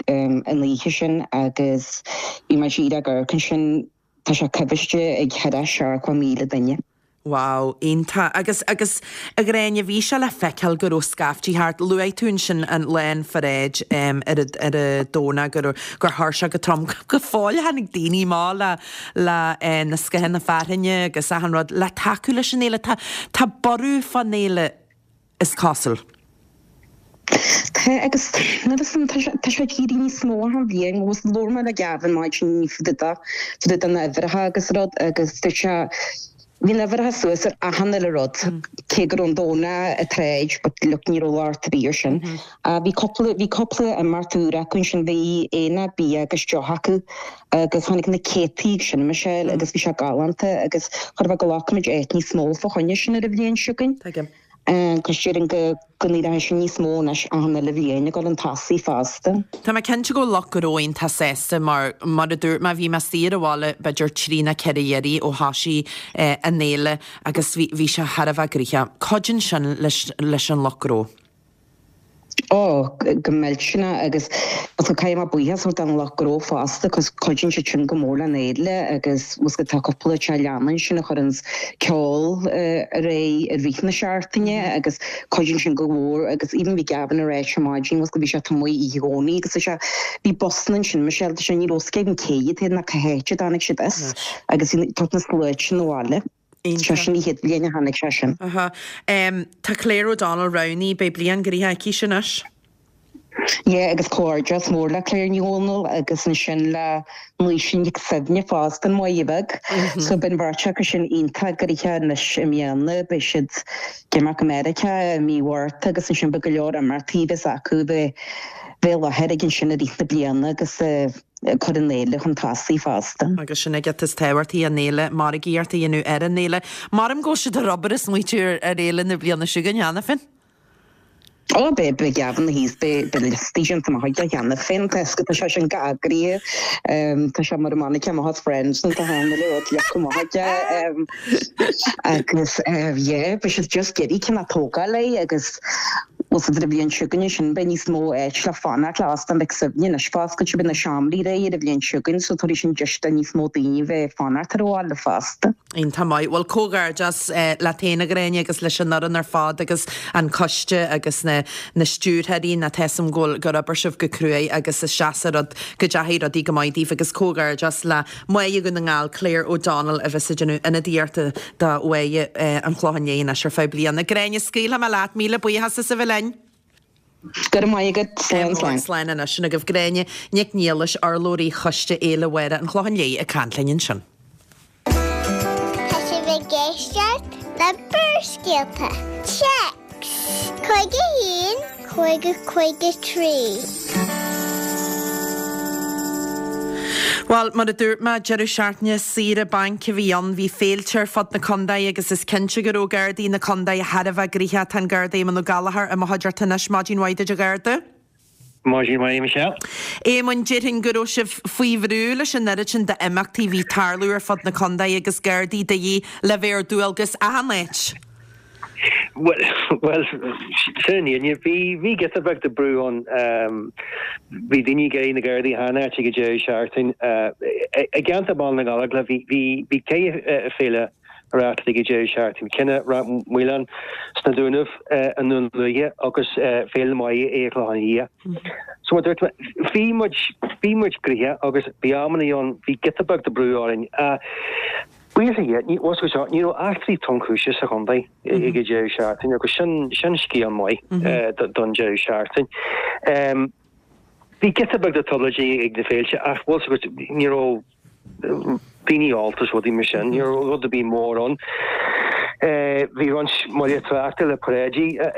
an oíche sin agus bhí mé díreach ag amharc ansin, tá sé cuibhiste ag 70,000 duine. Wow, iontach. Agus, agus, a Ghráinne, bhí sé le feiceáil go raibh scaiftí thart. Luaigh tú ansin an lá an pharáid ar an, ar an Domhnach go raibh, gur chuir sé go trom. Go fóill tháinig daoine amach le, le na scáthanna fearthainne agus achan rud le tacú leis an fhéile. Tá, tá borradh fán fhéile. is cosúil. Tá, agus nuair is tá sé tá sé ag éirí níos mó achan bhliain agus labhair mé le Gavin maidin inniu fá dtaobh de fá dtaobh de na huimhreacha agus rud agus dúirt sé bhí na huimhreacha suas ar achan uile rud cé go raibh an Domhnach an tsráid but look ní raibh locht ar bith ar sin. Bhí cúpla bhí cúpla imeacht úr acu ansin bhí aonach bia agus deoch acu agus tháinig na céadtaí ag sin Michelle agus bhí sé galánta agus chóir a bheith go nglacfaimid áit níos mó fá choinne sin ar an bhliain seo chugainn. Tuigim. Agus déarfainn go go n-éireoidh sé níos mó anois achan uile bhliain ag dul chun tosaigh fosta. Tá mé cinnte go bhfuil lucht gnó iontach sásta mar, mar a dúirt mé, bhí mé istigh ar an bhaile b'fhéidir trí nó ceithre iarraidh ó thoisigh an fhéile agus bhí, bhí sé thar a bheith gnoitheach. Cuidíonn sin leis, leis an lucht gnó. Ó, go millteanach agus caithfidh mé buíochas a thabhairt don lucht gnó fosta cos cuidíonn siad sin go mór le an fhéile agus bhfuil tá cúpla teach leanna ansin a chuireann ceol ar aghaidh i rith na seachtaine agus cuidíonn sin go mór agus even bhí Gavin ag ráit ar maidin bhfuil bhí sé taobh amuigh oíche Dhomhnaigh agus tá sé bhí busanna ansin Michelle tá sé ní raibh a fhios againn cé hiad ná cá háit a dtáinig siad as agus bhí na sluaite 'na bhaile. Seo sin an chéad bhliain a tháinig sé sin. Aha. Tá Claire O'Donnell roghnaithe, beidh bliain gnoitheach aici sin anois. Yeah, agus comhghairdeas mór le Claire Ní Dhomhnaill agus ansin le Naoise Nic Suibhne fosta, an Mhaighe Bheag. So beidh an bheirt acu sin iontach gnoitheach anois i mbliana, beidh siad ag imeacht go Meiriceá i mí Mhárta agus ansin beidh go leor imeachtaí a bheas acu bheith i láthair ag ansin i rith na bliana agus ag cur an fhéile chun tosaigh fosta. Agus sin an rud is tábhachtaí, an fhéile, margaíocht a dhéanamh ar an fhéile. Maram go bhfuil siad ar obair ag smaoitiú ar fhéile na bliana seo chugainn cheana féin. Ó, beidh, beidh Gavin thíos, beidh, beidh liostaí déanta amach aige cheana féin, tá tá sé sin go heagraithe, tá sé mar an Monica amach as Friends nó tá achan uile rud leagtha amach aige agus yeah, beidh siad just ag iarraidh cineál tógáil é agus Bhuel sa bhliain seo chugainn ansin beidh níos mó áit le fanacht le Óstán Mhic Suibhne anois foscailte beidh na seomraí réidh ar an bhliain seo chugainn so tabharfaidh sin deis do níos mó daoine bheith ag fanacht ar an bhaile fosta. Iontach maith. Bhuel comhghairdeas leat féin a Ghráinne agus leis an fhoireann ar fad agus an coiste agus na na stiúrthóirí ná tá 'fhios a'm go bhfuil gur oibir sibh go cruaidh agus is deas an rud go dteachaigh rudaí go maith daoibh agus comhghairdeas le Máire Dhún na nGall, Claire O'Donnell a bheas ag déanamh ionadaíochta do Mháire an Chlocháin Léith anois ar feadh bliana. Gráinne, scaoilfidh mé leat, míle buíochas as a bheith linn. Go raibh maith agat. Slán, slán. Slán anois. Sin agaibh Gráinne Nic Niallais, urlabhraí Choiste Fhéile Mháire an Chlocháin Léith ag caint linn ansin. Tá sibh ag éisteacht le Barrscéalta. Téacs 51 50 53. Bhuel, mar a dúirt mé, deireadh seachtaine saoire bainc a bhí ann. Bhí féilte ar fud na contae agus is cinnte go raibh Gardaí na contae thar a bheith gnoitheach. Tá an Garda Éamonn Ó Gallchóir i mo chuideachta anois. Maidin mhaith duit a Gharda. Maidin mhaith, Michelle. Éamoinn, déarfainn go raibh sibh faoi bhrú leis an oiread sin d'imeachtaí a bhí ag tarlú ar fud na contae agus Gardaí de dhíth le bheith ar dualgas achan áit. Bhuel, bhuel, sin an fhírinne. Bhí, bhí giota beag de brú ann. Bhí daoine ag iarraidh na Gardaí achan áit ag an deireadh seachtaine. I gceantar Bhaile na nGallóglach bhí, bhí, bhí ceithre féile á reáchtáil ag an deireadh seachtaine. Ceann i Ráth Maoláin sna Dúnaibh, i nDún Lúiche agus Féile na Maighe i gClochán Liath. So mar a dúirt mé, bhí muid, bhí muid gnoitheach agus bhí amanna ann, bhí giota beag de brú orainn. Buíochas le Dia, ní, bhfuil a fhios agat, ní raibh eachtraí tromchúise sa chontae ag an deireadh seachtaine agus sin, sin scéal maith don deireadh seachtaine. Bhí giota beag de trioblóidí ag na féilte ach bhfuil a fhios agat, ní raibh daoine ólta is rudaí mar sin, ní raibh rud ar bith mór ann. Bhí roinnt moille tráchta le paráidí ar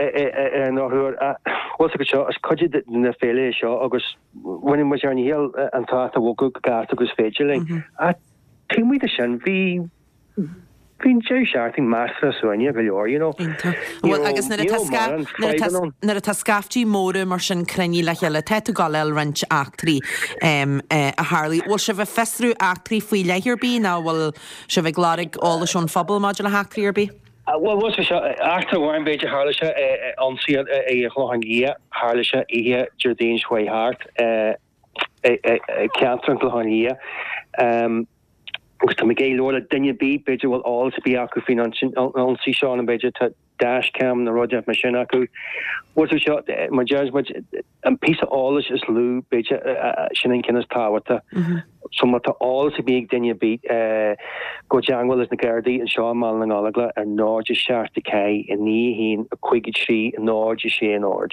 an ndrochuair ach bhfuil a fhios agat seo, is cuid de na féile é seo agus rinne muid ár ndícheall an trácht a bhogadh go gasta agus is féidir linn. Ach taobh amuigh de sin, bhí Bhí an deireadh seachtaine measartha suaimhneach go leor, you know. Iontach. Bhuel, agus nuair atá sca, nuair atá, nuair atá scaiftí móra mar sin cruinnithe le chéile, tá tú ag gabháil a fháil roinnt eachtraí a tharlaigh. Bhfuil sibh ag fiosrú eachtraí faoi leith ar bith nó bhfuil sibh ag lorg eolais ón phobal maidir le heachtraí ar bith? Bhuel, bhfuil seo, eachtra amháin b'fhéidir, tharla sé ionsaí i gClochán Liath, tharla sé oíche Déardaoin seo chuaigh thart i gceantar an Chlocháin Liath. Agus tá mé ag iarraidh labhairt le duine ar bith, b'fhéidir go bhfuil eolas ar bith acu faoin ionsaí seo nó b'fhéidir tá dashcam nó rud mar sin acu. Bhfuil a fhios agat, mar deir muid, an píosa eolais is lú, b'fhéidir, sin an ceann is tábhachtaí. So má tá eolas ar bith ag duine ar bith, gabh i dteangmháil leis na Gardaí anseo i mBaile na nGallóglach ar 0 7 4 9 1 5 3 0 6 0.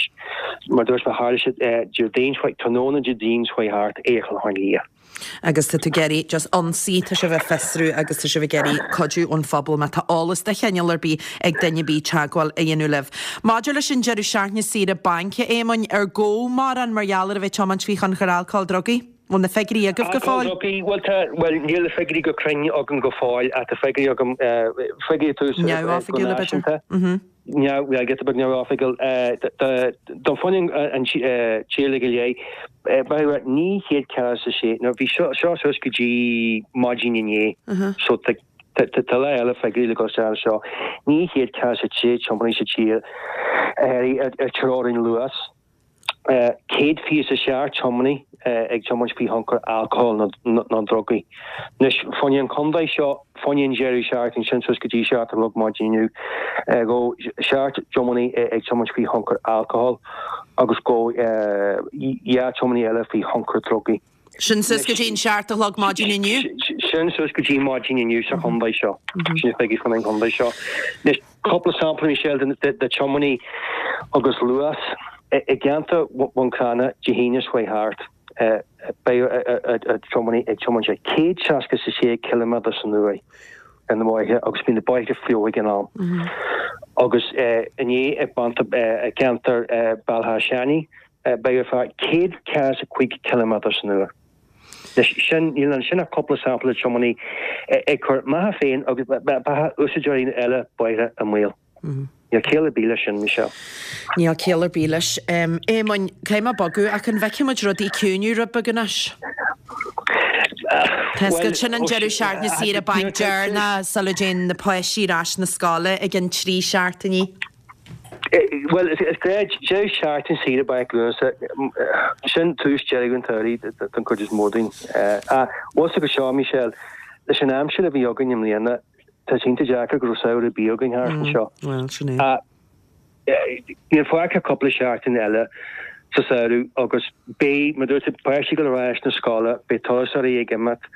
Mar dúirt mé, tharla sé Déardaoin, tráthnóna Déardaoin seo chuaigh thart, i gClochán Liath. Agus tá tú ag iarraidh just ionsaí, tá sibh ag fiosrú agus tá sibh ag iarraidh cuidiú ón phobal má tá eolas de chineál ar bith ag duine ar bith teagmháil a dhéanamh libh. Maidir leis an deireadh seachtaine saoire bainc, a Éamoinn, ar gabhadh mórán mar gheall ar a bheith ag tiomáint faoi thionchar alcóil drugaí? Bhfuil na figiúirí agaibh go fóill? Alcól drugaí, bhuel tá, bhuel níl na figiúirí go cruinn agam go fóill ach tá figiúirí agam, figiúirí tús go náisiúnta. Neamh, giota beag neamhoifigiúil. Don phunann an tír uilig go léir, b'fhéidir 946, nó bhí seo suas go dtí maidin inné, so tá lá eile figiúirí le dul isteach anseo, 946 tiománaí sa tír ar teorainn luas. 127 tiománaí ag tiomáint faoi thionchar alcóil nó drugaí. Anois, fá choinne an chontae seo, fá choinne an deireadh seachtaine sin suas go dtí 7 a chlog maidin inniu, gabhadh 7 dtiománaí ag tiomáint faoi thionchar alcóil agus gabhadh 2 tiománaí eile faoi thionchar drugaí. Sin suas go dtí an 7 a chlog maidin inniu? Sin suas go dtí maidin inniu sa chontae seo. Sin na figiúirí fá choinne an chontae seo. Anois, cúpla sampla, Michelle, de tiománaí agus luas. I gceantar Bhun Cranncha, Dé hAoine seo chuaigh thart, beidh tiománaí ag tiomáint ag 166 ciliméadar san uair ar na bóithre agus bhí na bóithre fliuch ag an am. Agus inné i gceantar Bhéal Átha Seanaidh, Beidh fear 145 ciliméadar san uair. Anois, sin, níl ansin ach cúpla sampla de tiománaí ag cur a mbeatha féin agus beatha úsáideoirí eile bóithre i mbaol. Níl ciall ar bith leis sin, Michelle. Níl ciall ar bith leis. Éamoinn, caithfidh mé bogadh ach an bhfeicfidh muid rudaí ag ciúnú rud beag anois? Tá 'fhios agat, sin an deireadh seachtaine saoire bainc deireanach sula dtéann na páistí ar ais na scoile i gcionn trí seachtainí. Bhuel, is gnáth deireadh seachtaine saoire bainc Lúnasa, sin tús deireadh an tsamhraidh don chuid is mó dínn. Ach bhfuil 'fhios agat seo, Michelle, leis an aimsir a bhí againn i mbliana, tá sé iontach deacair go raibh samhradh ar bith againn thart anseo. Bhuel, sin é. Ach níl fágtha ach cúpla seachtain eile sa samhradh agus beidh, mar dúirt tú, páistí ag dul ar ais na scoile, beidh turasóirí ag imeacht,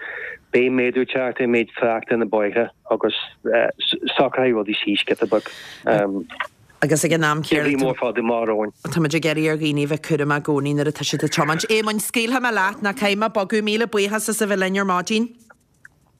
beidh méadú ag teacht ar méid tráchta ar na bóithre agus socróidh rudaí síos giota beag. Agus ag an am céanna. Bhí mór fada maith romhainn. Tá muid ag iarraidh ar dhaoine a bheith cúramach i gcónaí nuair atá siad ag tiomáint. Éamoinn, scaoilfidh mé leat, ná caithfidh mé bogadh. Míle buíochas as a bheith linn ar maidin.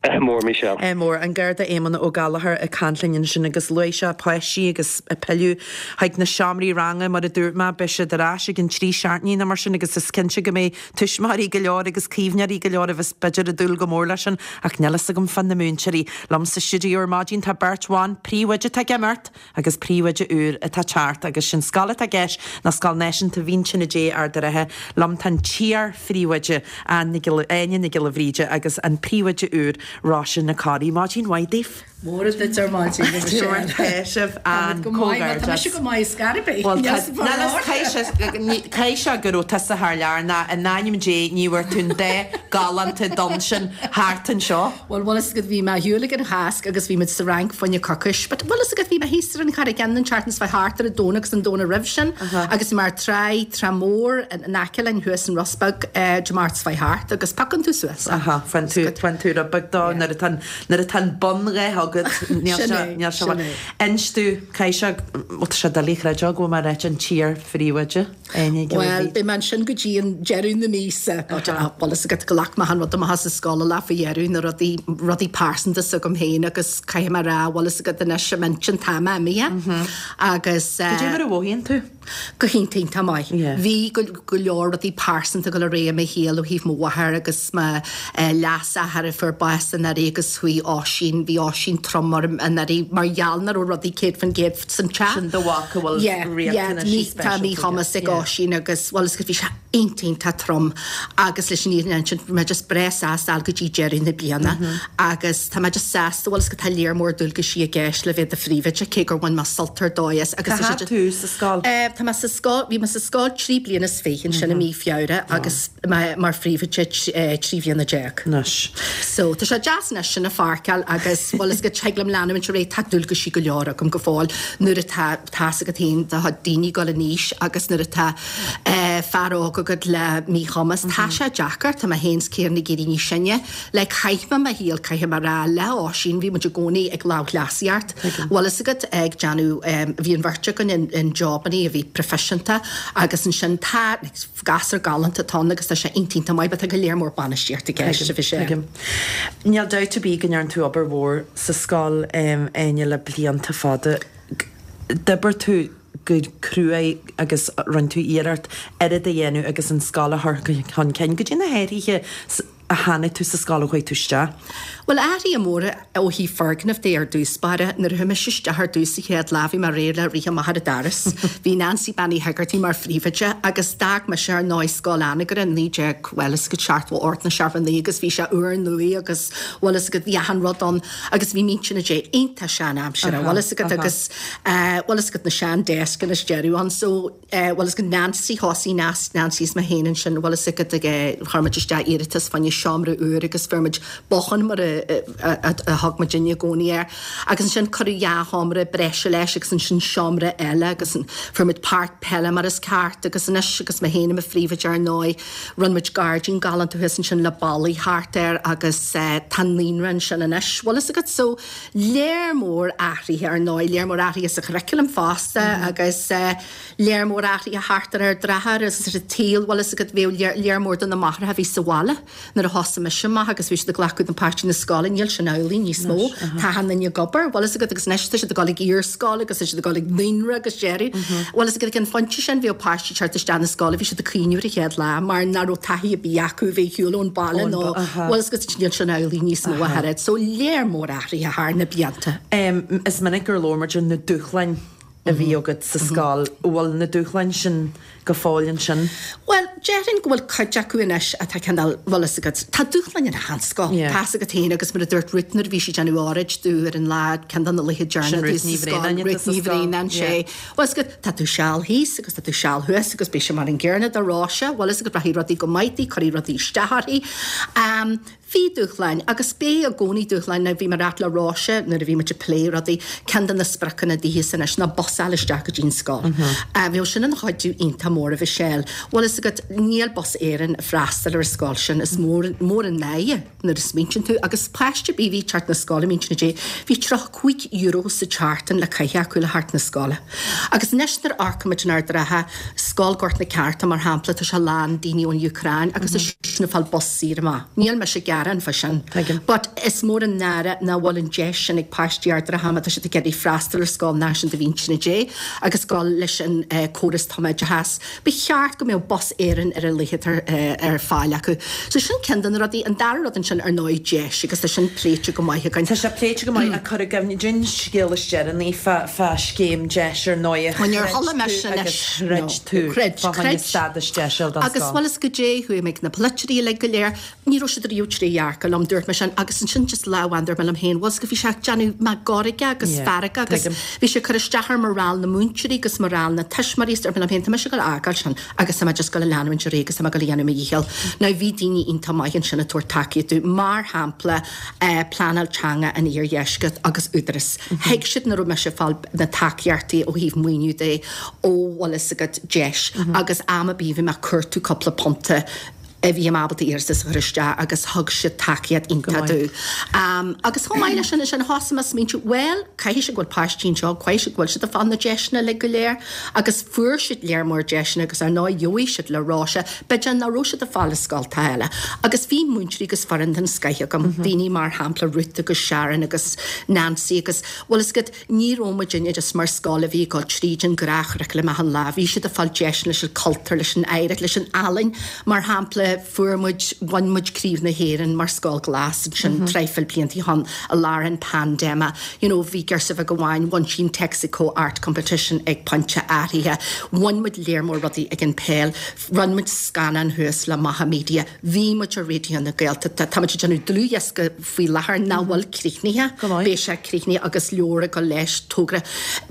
Ádh mór, Michelle. Ádh mór. An Garda Éamonn Ó Gallchóir ag caint linn ansin agus luaigh sé páistí agus ag pilleadh chuig na seomraí ranga mar a dúirt mé, beidh siad ar ais i gcionn trí seachtainí nó mar sin agus is cinnte go mbeidh tuismitheoirí go leor agus caomhnóirí go leor a bheas b'fhéidir ag dúil go mór leis sin ach níl fhios agam fá na múinteoirí. Liom sa stiúideo ar maidin tá beirt bhan, príomhoide atá ag imeacht agus príomhoide úr atá ag teacht agus sin scoil atá i gceist ná Scoil Náisiúnta Mhín Tine Dé Ard a' Rátha. Liom tá an t-iar-phríomhoide Áine Nic Giolla Bhríde agus an príomhoide úr Róise Nic Corraidh. Maidin mhaith daoibh. Móra duit ar maidin, a Mhichelle. Tá sibh an Go maith, bhuel, tá mise go maith ar scor ar bith. Bhuel, tá, caithfidh sé go raibh tusa thar lear nó in ainm Dé ní bhfuair tú an dath galánta donn sin thart anseo. Bhuel, bhfuil fhios agat, bhí mé ar shiúl ag an Chásc agus bhí muid sa Fhrainc fá choinne coicís, but bhfuil fhios agat, bhí mé thíos ar an Charraig Fhinn an tseachtain seo thart ar an Domhnach agus an Domhnach roimh sin agus bhí mé ar tráigh, Trá Mhór in aice linn thuas in Ros Beag Dé Máirt seo thart agus piocann tú suas é. Aha, faigheann tú, faigheann tú rud beag dó nuair atá an, nuair atá an bundhath agat, níl Sin sé, é, níl sé sin é. Inis domh, caithfidh sé, bhuel tá sé doiligh a chreideáil go bhfuil mé ag ráit an t-iar-phríomhoide. Bhuel, beidh mé ansin go dtí an deireadh na míosa. Bhfuil fhios agat, ghlac mé an rud amach as an scoil an lá faoi dheireadh, na rudaí, rudaí pearsanta s'agam féin agus caithfidh mé a rá, bhfuil fhios agat anois, i m'intinn tá mé imithe agus. Cad é mar a mhothaíonn tú? Go hiontach, iontach maith. Bhí go, go leor rudaí pearsanta ag dul ar aghaidh i mo shaol ó thaobh mo mháthair agus mo leasathair a fuair bás anuraidh agus chuaigh Oisín, bhí Oisín trom orm anuraidh mar gheall nach raibh rudaí 100% san teach. Sin do mhac a bhfuil riachtanaisí speisialta aige. Tá míchumas ag Oisín agus, bhuel, is bhí sé iontach, iontach trom agus leis an fhírinne a insint, bhí mé just breá sásta fháil go dtí deireadh na bliana agus tá mé just sásta, bhuel, is go tá léar mór dualgaisí i gceist le bheith i do phríomhoide, cé gur bhain mé sult ar dóigh as agus. Cá fhad tú sa scoil? Tá mé sa scoil, bhí mé sa scoil trí bliana is fiche ansin i mí Feabhra agus mé mar phríomhoide 13 bhliana. Anois. So, tá sé deas anois sin a pháirceáil agus, bhuel, is go dtig liom leanúint ar aghaidh, tá dualgaisí go leor agam go fóill nuair atá, tá's agat féin, do chuid daoine ag dul in aois agus nuair atá fear óg agat le míchumas, tá sé deacair, tá mé féin 's Ciarán ag éirí níos sine, like chaith mé mo shaol, caithfidh mé a rá, le Oisín, bhí muid i gcónaí ag lámhchleasaíocht, bhfuil fhios agat, ag déanamh, bhí an bheirt againn in, in jobannaí a bhí proifisiúnta agus ansin tá, like, Gasúr galánta atá ann agus tá sé iontach iontach maith but tá go leor mór bainistíocht i gceist a bhí sé. Tuigim. Níl dabht ar bith go ndearna tú obair mhór sa scoil, Áine, le blianta fada. D'oibir tú go cruaidh agus rinne tú iarracht oiread a dhéanamh agus an scoil a chur chun cinn. Goidé na hathruithe a chonaic tú sa scoil ó chuaigh tú isteach? Bhuel, athruithe móra ó thaobh foirgneamh de ar dtús báire. Nuair a chuaigh mise isteach ar dtús sa chéad lá, bhí mé réidh le rith amach ar an doras. Bhí Nancy Bean Uí hEigeartaigh mar phríomhoide agus d'fhág mise ar ndóigh Scoil Anagaire in 19, bhuel, is go 78 nó 79 agus bhí sé úrnua agus, bhuel, is go, bhí achan rud ann agus bhí Mín Tine Dé iontach sean-aimseartha, bhuel, is agat agus, bhuel, is agat na sean-deascanna is deireadh ann. So, bhfuil fhios agat Nancy, thosaigh Nancy is mé féin ansin, bhfuil fhios agat ag chuir muid isteach iarratas fá choinne seomra úr agus fuair muid bothán mar a thug muidinne i gcónaí air agus ansin cuireadh dhá sheomra breise leis agus ansin seomra eile agus fuair muid páirc peile mar is ceart agus anois agus mé féin i mo phríomhoide ar ndóigh rinne muid gairdín galánta thuas ansin le ballaí thart air agus tá naíonra ansin anois, bhfuil fhios agat so léar mór athruithe ar ndóigh, léar mór athruithe sa churriculum fosta agus léar mór athruithe thart ar Ard Ratha agus ar an tsaol, bhfuil fhios agat, bhíodh léar mór de na máithreacha a bhí sa bhaile nuair a thosaigh mise amach agus bhí siad ag glacadh na páistí na scoile, níl sin amhlaidh níos mó, tá achan duine ag obair, bhfuil fhios agat, agus anois tá siad ag dul ag iarscoil agus tá siad ag dul ag naíonra agus deireadh, bhfuil fhios agat, ag an phointe sin bhíodh páistí ag teacht isteach na scoile, bhí siad ag caoineadh ar an chéad lá mar nach raibh taithí ar bith acu bheith ar shiúl ón baile nó bhfuil fhios agat, níl sin amhlaidh níos mó ach oiread. So léar mór athruithe thar na blianta. Is minic gur labhair muid ar na dúshláin a bhí agat sa scoil. Bhfuil na dúshláin sin go fóill ansin? Bhuel, déarfainn go bhfuil cuid acu anois atá cineál, bhfuil fhios agat, tá dúshláin in achan scoil, tá fhios agat féin agus mar a dúirt Ruth nuair a bhí sí ag déanamh óráid domh ar an lá, ceann de na laetha deireanacha domh sa scoil, Ruth Ní Bhraonáin, sé, bhfuil fhios agat, tá tú seal thíos agus tá tú seal thuas agus beidh sé mar an gcéanna do Róise, bhfuil fhios agat, rachaidh rudaí go maith di, cuirfidh rudaí isteach uirthi. Bhí dúshláin, agus beidh i gcónaí dúshláin, now bhí mé ag ráit le Róise nuair a bhí muid ag plé rudaí, ceann de na spriocanna daoithe anois ná bus a. bus a fháil isteach go dtí an scoil. Bheadh sin ina chuidiú iontach mór a Mhichelle. Bhfuil fhios agat, níl Bus Éireann ag freastal ar an scoil sin, is mór, mór an náire nuair a smaointíonn tú. Agus páiste ar bith a bhí ag teacht na scoile, m'intinn Dé, bhí €35 sa tseachtain le caitheamh acu le theacht na scoile. Agus anois nuair a amharcaimid in Ard an Rátha, Scoil Gort na Ceárta mar shampla, tá sé lán daoine ón Úcráin agus tá siadsan ag fáil bus saor amach. Níl mise ag gearán fá sin. But is mór an náire nach bhfuil an deis sin ag páistí Ard an Rátha má tá siad ag iarraidh freastal ar Scoil Náisiúnta Mhíntíre Dé agus dul leis an córas tumoideachais. Ba cheart go mbeadh Bus Éireann ar a laghad ar fáil acu. So sin ceann de na rudaí. An dara rud ansin ar ndóigh deis agus tá sin pléite go maith againn. Tá sé pléite go maith ach cuir i gcuimhne dúinn scéal is deireanaí fá fá scéim deis ar ndóigh a chreid tú agus throid tú fá choinne stádas deis a fháil don Agus scoil. bhuel is goidé chuaigh mé ag na polaiteoirí uilig go léir. Ní raibh siad riamh trédhearcach liom, dúirt mé sin, agus ansin just lá amháin dúirt mé liom féin, bhuel 's go bhí sé ag déanamh mé gairge agus Yeah, fearga agus tuigim. bhí sé ag cur isteach ar morale na múinteoirí agus morale na tuismitheoirí is dúirt mé liom féin, tá mise ag dul a fhágáil sin agus tá mé just ag dul a leanúint ar aghaidh agus tá mé ag dul a dhéanamh mo dhícheall. Now bhí daoine iontach maith ansin ag tabhairt tacaíocht domh, mar shampla eh Pleanáil Teanga an Iardheiscirt agus Údarás. Thuig siad nach raibh mise ag fáil na tacaíochtaí ó thaobh maoiniú de ó bhfuil fhios agat deis agus am ar bith bhí mé ag cuartú cúpla punta a bhí mé ábalta iarratas a chur isteach agus thug siad tacaíocht iontach domh. Agus chomh maith leis sin, ansin thosaigh mé ag smaointiú, bhuel, caithfidh sé go bhfuil páistí anseo, caithfidh sé go bhfuil siad ag fáil na deiseanna uilig go léir agus fuair siad léar mór deiseanna agus ar ndóigh gheobhaidh siad le Róise, b'fhéidir nach raibh siad ag fáil i scoltacha eile. Agus bhí múinteoirí agus foireann den scoith agam, daoine mar shampla Ruth agus Sharon agus Nancy agus, bhfuil fhios agat, Ní raibh muidinne just mar scoil a bhí ag dul tríd an gnáthchuraclam achan lá, bhí siad ag fáil deiseanna leis an cultúr, leis an oidhreacht, leis an ealaín. Mar shampla, fuair muid, bhain muid Craobh na hÉireann mar Scoil Ghlas ansin traidhfil blianta ó shin i lár an paindéime. You know, bhí girseach bheag amháin, bhain sí an Texaco Art Competition ag pointe áirithe. Bhain muid léar mór rudaí ag an peil. Rinne muid scannán thuas le Macha Media. Bhí muid ar Raidió na Gaeltachta. Tá muid ag déanamh dlúthdhiosca faoi láthair nach bhfuil críochnaithe. Beidh sé críochnaithe agus leabhar ag dul leis, togra.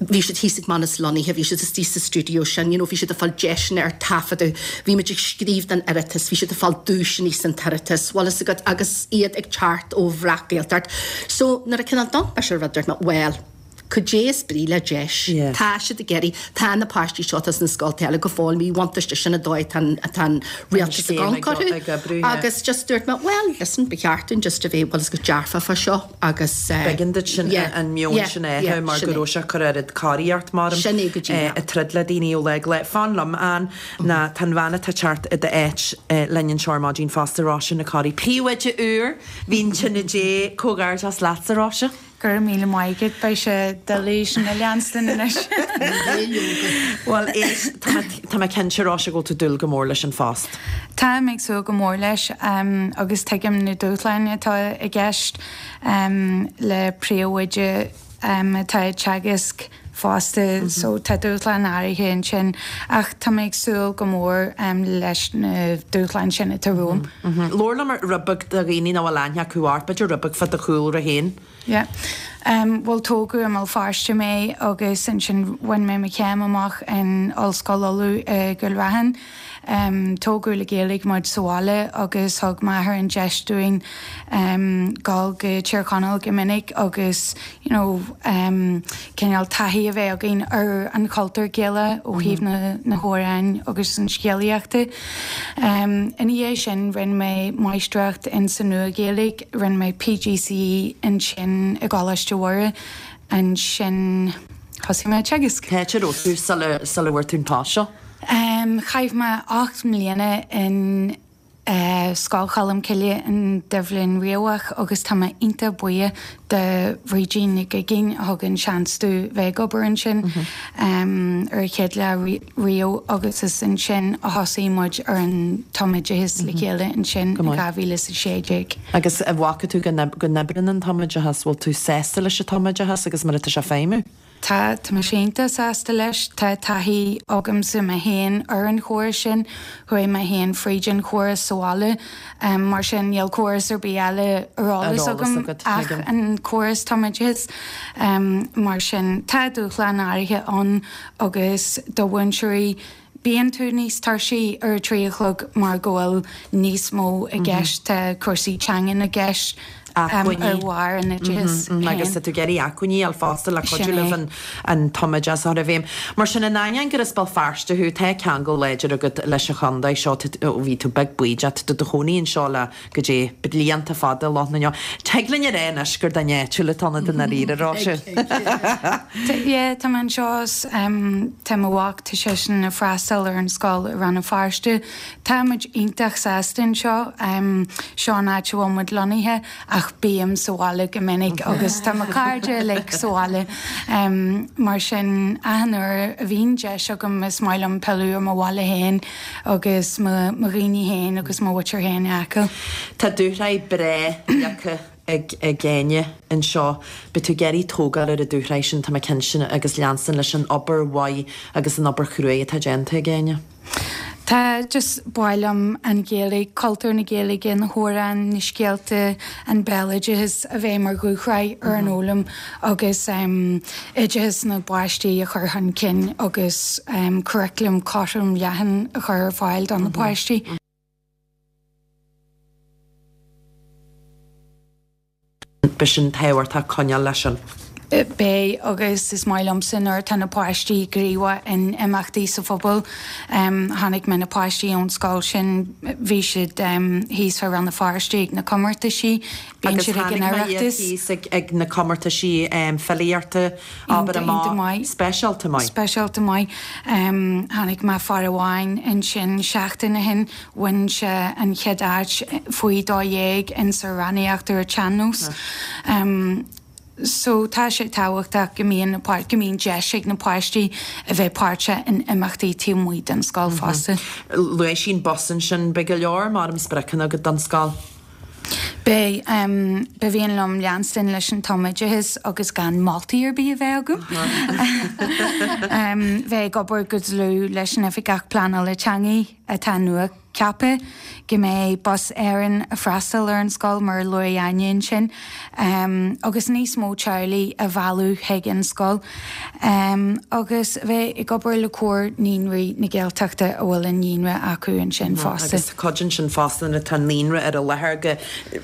Bhí siad thíos ag Manus Lunny, bhí siad istigh sa stiúideo sin, you know, bhí siad ag fáil deiseanna ar taifeadadh. Bhí muid ag scríobh don Oireachtas, bhí siad ag fáil duaiseanna san tOireachtas, bhfuil fhios agat, agus iad ag teacht ó Bhreac-Ghaeltacht. So nuair a cineál d'amharc mise ar rud dúirt mé, bhuel, Cad é is brí le deis? Tá siad ag iarraidh, tá na páistí seo atá sna scoltacha eile go fóill míbhuntáiste, sin an dóigh atá an, atá an rialtas ag amharc orthu. Agus just dúirt mé, well, listen, ba cheart dúinn just a bheith, bhfuil fhios agat, dearfach fá seo agus eh. B'éigean duit sin, an meon sin a fheiceáil mar go raibh sé ag cur oiread corraí ort mar Sin é go díreach. ag troid le daoine ó lá go lá. Fan liom, Ann, ná tá an bhean atá ag teacht i d'áit linn anseo ar maidin fosta, Róise Nic Corraidh. Príomhoide úr Mhín Tine Dé, comhghairdeas leatsa, Róise. Go raibh míle maith agat, beidh sé doiligh sin a leanstan anois. Bhuel, éist, tá mé, tá mé cinnte, Róise, go bhfuil tú ag dúil go mór leis an phost. Táim ag súil go mór leis agus tuigim na dúshláin atá i gceist le príomhoide atá ag teagasc fosta so tá dúshláin áirithe ansin ach tá mé ag súil go mór leis na dúshláin sin atá romham. Labhair liom rud beag do dhaoine nach bhfuil aithne acu ort, b'fhéidir rud beag fá do chúlra féin. Yeah. Bhuel tógadh i mBéal Feirste mé agus ansin bhain mé mo chéim amach in Ollscoil Uladh i gCúil Raithin. Tógadh le Gaeilge muid sa bhaile agus thug m'athair an deis dúinn dul go Tír Chonaill go minic agus you know cineál taithí a bheith againn ar an chultúr Gaelach ó thaobh na na hamhráin agus an scéalaíochta. Ina dhiaidh sin rinne mé máistreacht in sa Nua-Ghaeilge, rinne mé PGCE ansin i gColáiste Mhuire, ansin thosaigh mé ag teagasc. Cá háit a raibh tú sula sula bhfuair tú an post seo? Chaith mé 8 mbliana in Scoil Cholmcille in Duibhlinn Riabhach agus tá mé iontach buíoch do Bhrídín Nic Uiginn a thug an seans domh bheith ag obair ansin ar an chéad lá riamh agus is ansin a thosaigh muid ar an tumoideachas le chéile ansin in 2016. Agus an bhfaca tú go n-oibríonn an tumoideachas, bhfuil tú sásta leis an tumoideachas agus mar atá sé ag feidhmiú? Tá, tá mise iontach sásta leis. Tá taithí agamsa mé féin ar an chóras sin. Chuaigh mé féin fríd an chóras sa bhaile. Mar sin níl córas ar bith eile ar eolas agam ach an córas tumoideachais. Mar sin tá dúshláin áirithe ann agus do mhúinteoirí Bíonn tú níos tuirsí ar a trí a chlog mar go bhfuil níos mó i gceist, tá cúrsaí teangan i gceist. Acmhainní. ar bharr an oideachais féin. Agus tá tú ag iarraidh acmhainní a fháil fosta le Sin cuidiú é. libh an an tumoideachas a chur i bhfeidhm. Mar sin, in ainneoin gur as Béal Feirste thú, tá ceangal láidir agat leis an chontae seo, ó bhí tú beag bídeach, tá tú i do chónaí anseo le, goidé, blianta fada, lucht na Tig linn a rá anois gur duine áitiúil atá ionat i ndáiríre, a Róise. Yeah, tá mé anseo, tá mo mhac, tá seisean ag freastal ar an scoil i Rann na Feirste. Tá muid iontach sásta anseo, seo an áit a bhfuil muid lonnaithe ach bím sa bhaile go minic agus tá mo chairde uilig sa bhaile. Mar sin, achan uair a bhíonn deis agam is maith liom pilleadh ar mo bhaile féin agus mo dhaoine féin agus mo mhuintir féin a fheiceáil. Tá dúshraith breá leagtha ag ag Áine anseo. Beidh tú ag iarraidh tógáil ar an dúshraith sin, tá mé cinnte, agus leanstan leis an obair mhaith agus an obair chruaidh atá déanta ag Áine. Tá, just ba mhaith liom an Ghaeilge, cultúr na Gaeilge, na hamhráin, na scéalta, an béaloideas a bheith mar dhúshraith ar an fhoghlaim agus oideachas na bpáistí a chur chun cinn agus curriculum cothrom leathan a chur ar fáil do na páistí. Beidh sin tábhachtach coinneáil leis sin. Beidh, agus is maith liomsa nuair atá na páistí gníomhach in imeachtaí sa phobal. Chonaic mé na páistí ón scoil sin, bhí siad thíos fá Rann na Feirste ag na comórtaisí, bíonn Agus siad ag chonaic an mé iad Oireachtas. thíos ag na comórtaisí filíochta, abair Iontach maith. Speisialta maith. Speisialta maith. Chonaic mé fear amháin ansin seachtain ó shin, Bhain sé an chéad áit faoi 12 in sa amhránaíocht ar an tsean-nós. So tá sé tábhachtach go mbíonn na go mbíonn deis ag na páistí a bheith páirteach in imeachtaí taobh amuigh den scoil fosta. Luaigh sí an bus ansin, beidh go leor mar spriocanna agat don scoil. Beidh. Ba mhian liom leanstan leis an tumoideachas agus gan moltaí ar bith a bheith agam. Bheith ag obair go dlúth leis an Oifigeach Pleanála Teanga atá nua ceaptha, go mbeidh Bus Éireann ag freastal ar an scoil mar a luaigh Áine ansin, agus níos mó teaghlaigh a mhealladh chuig an scoil. Agus a bheith ag obair le Comhar Naíonraí na Gaeltachta a bhfuil an naíonra acu ansin fosta. Agus cuid ansin fosta nuair atá an naíonra ar an láthair go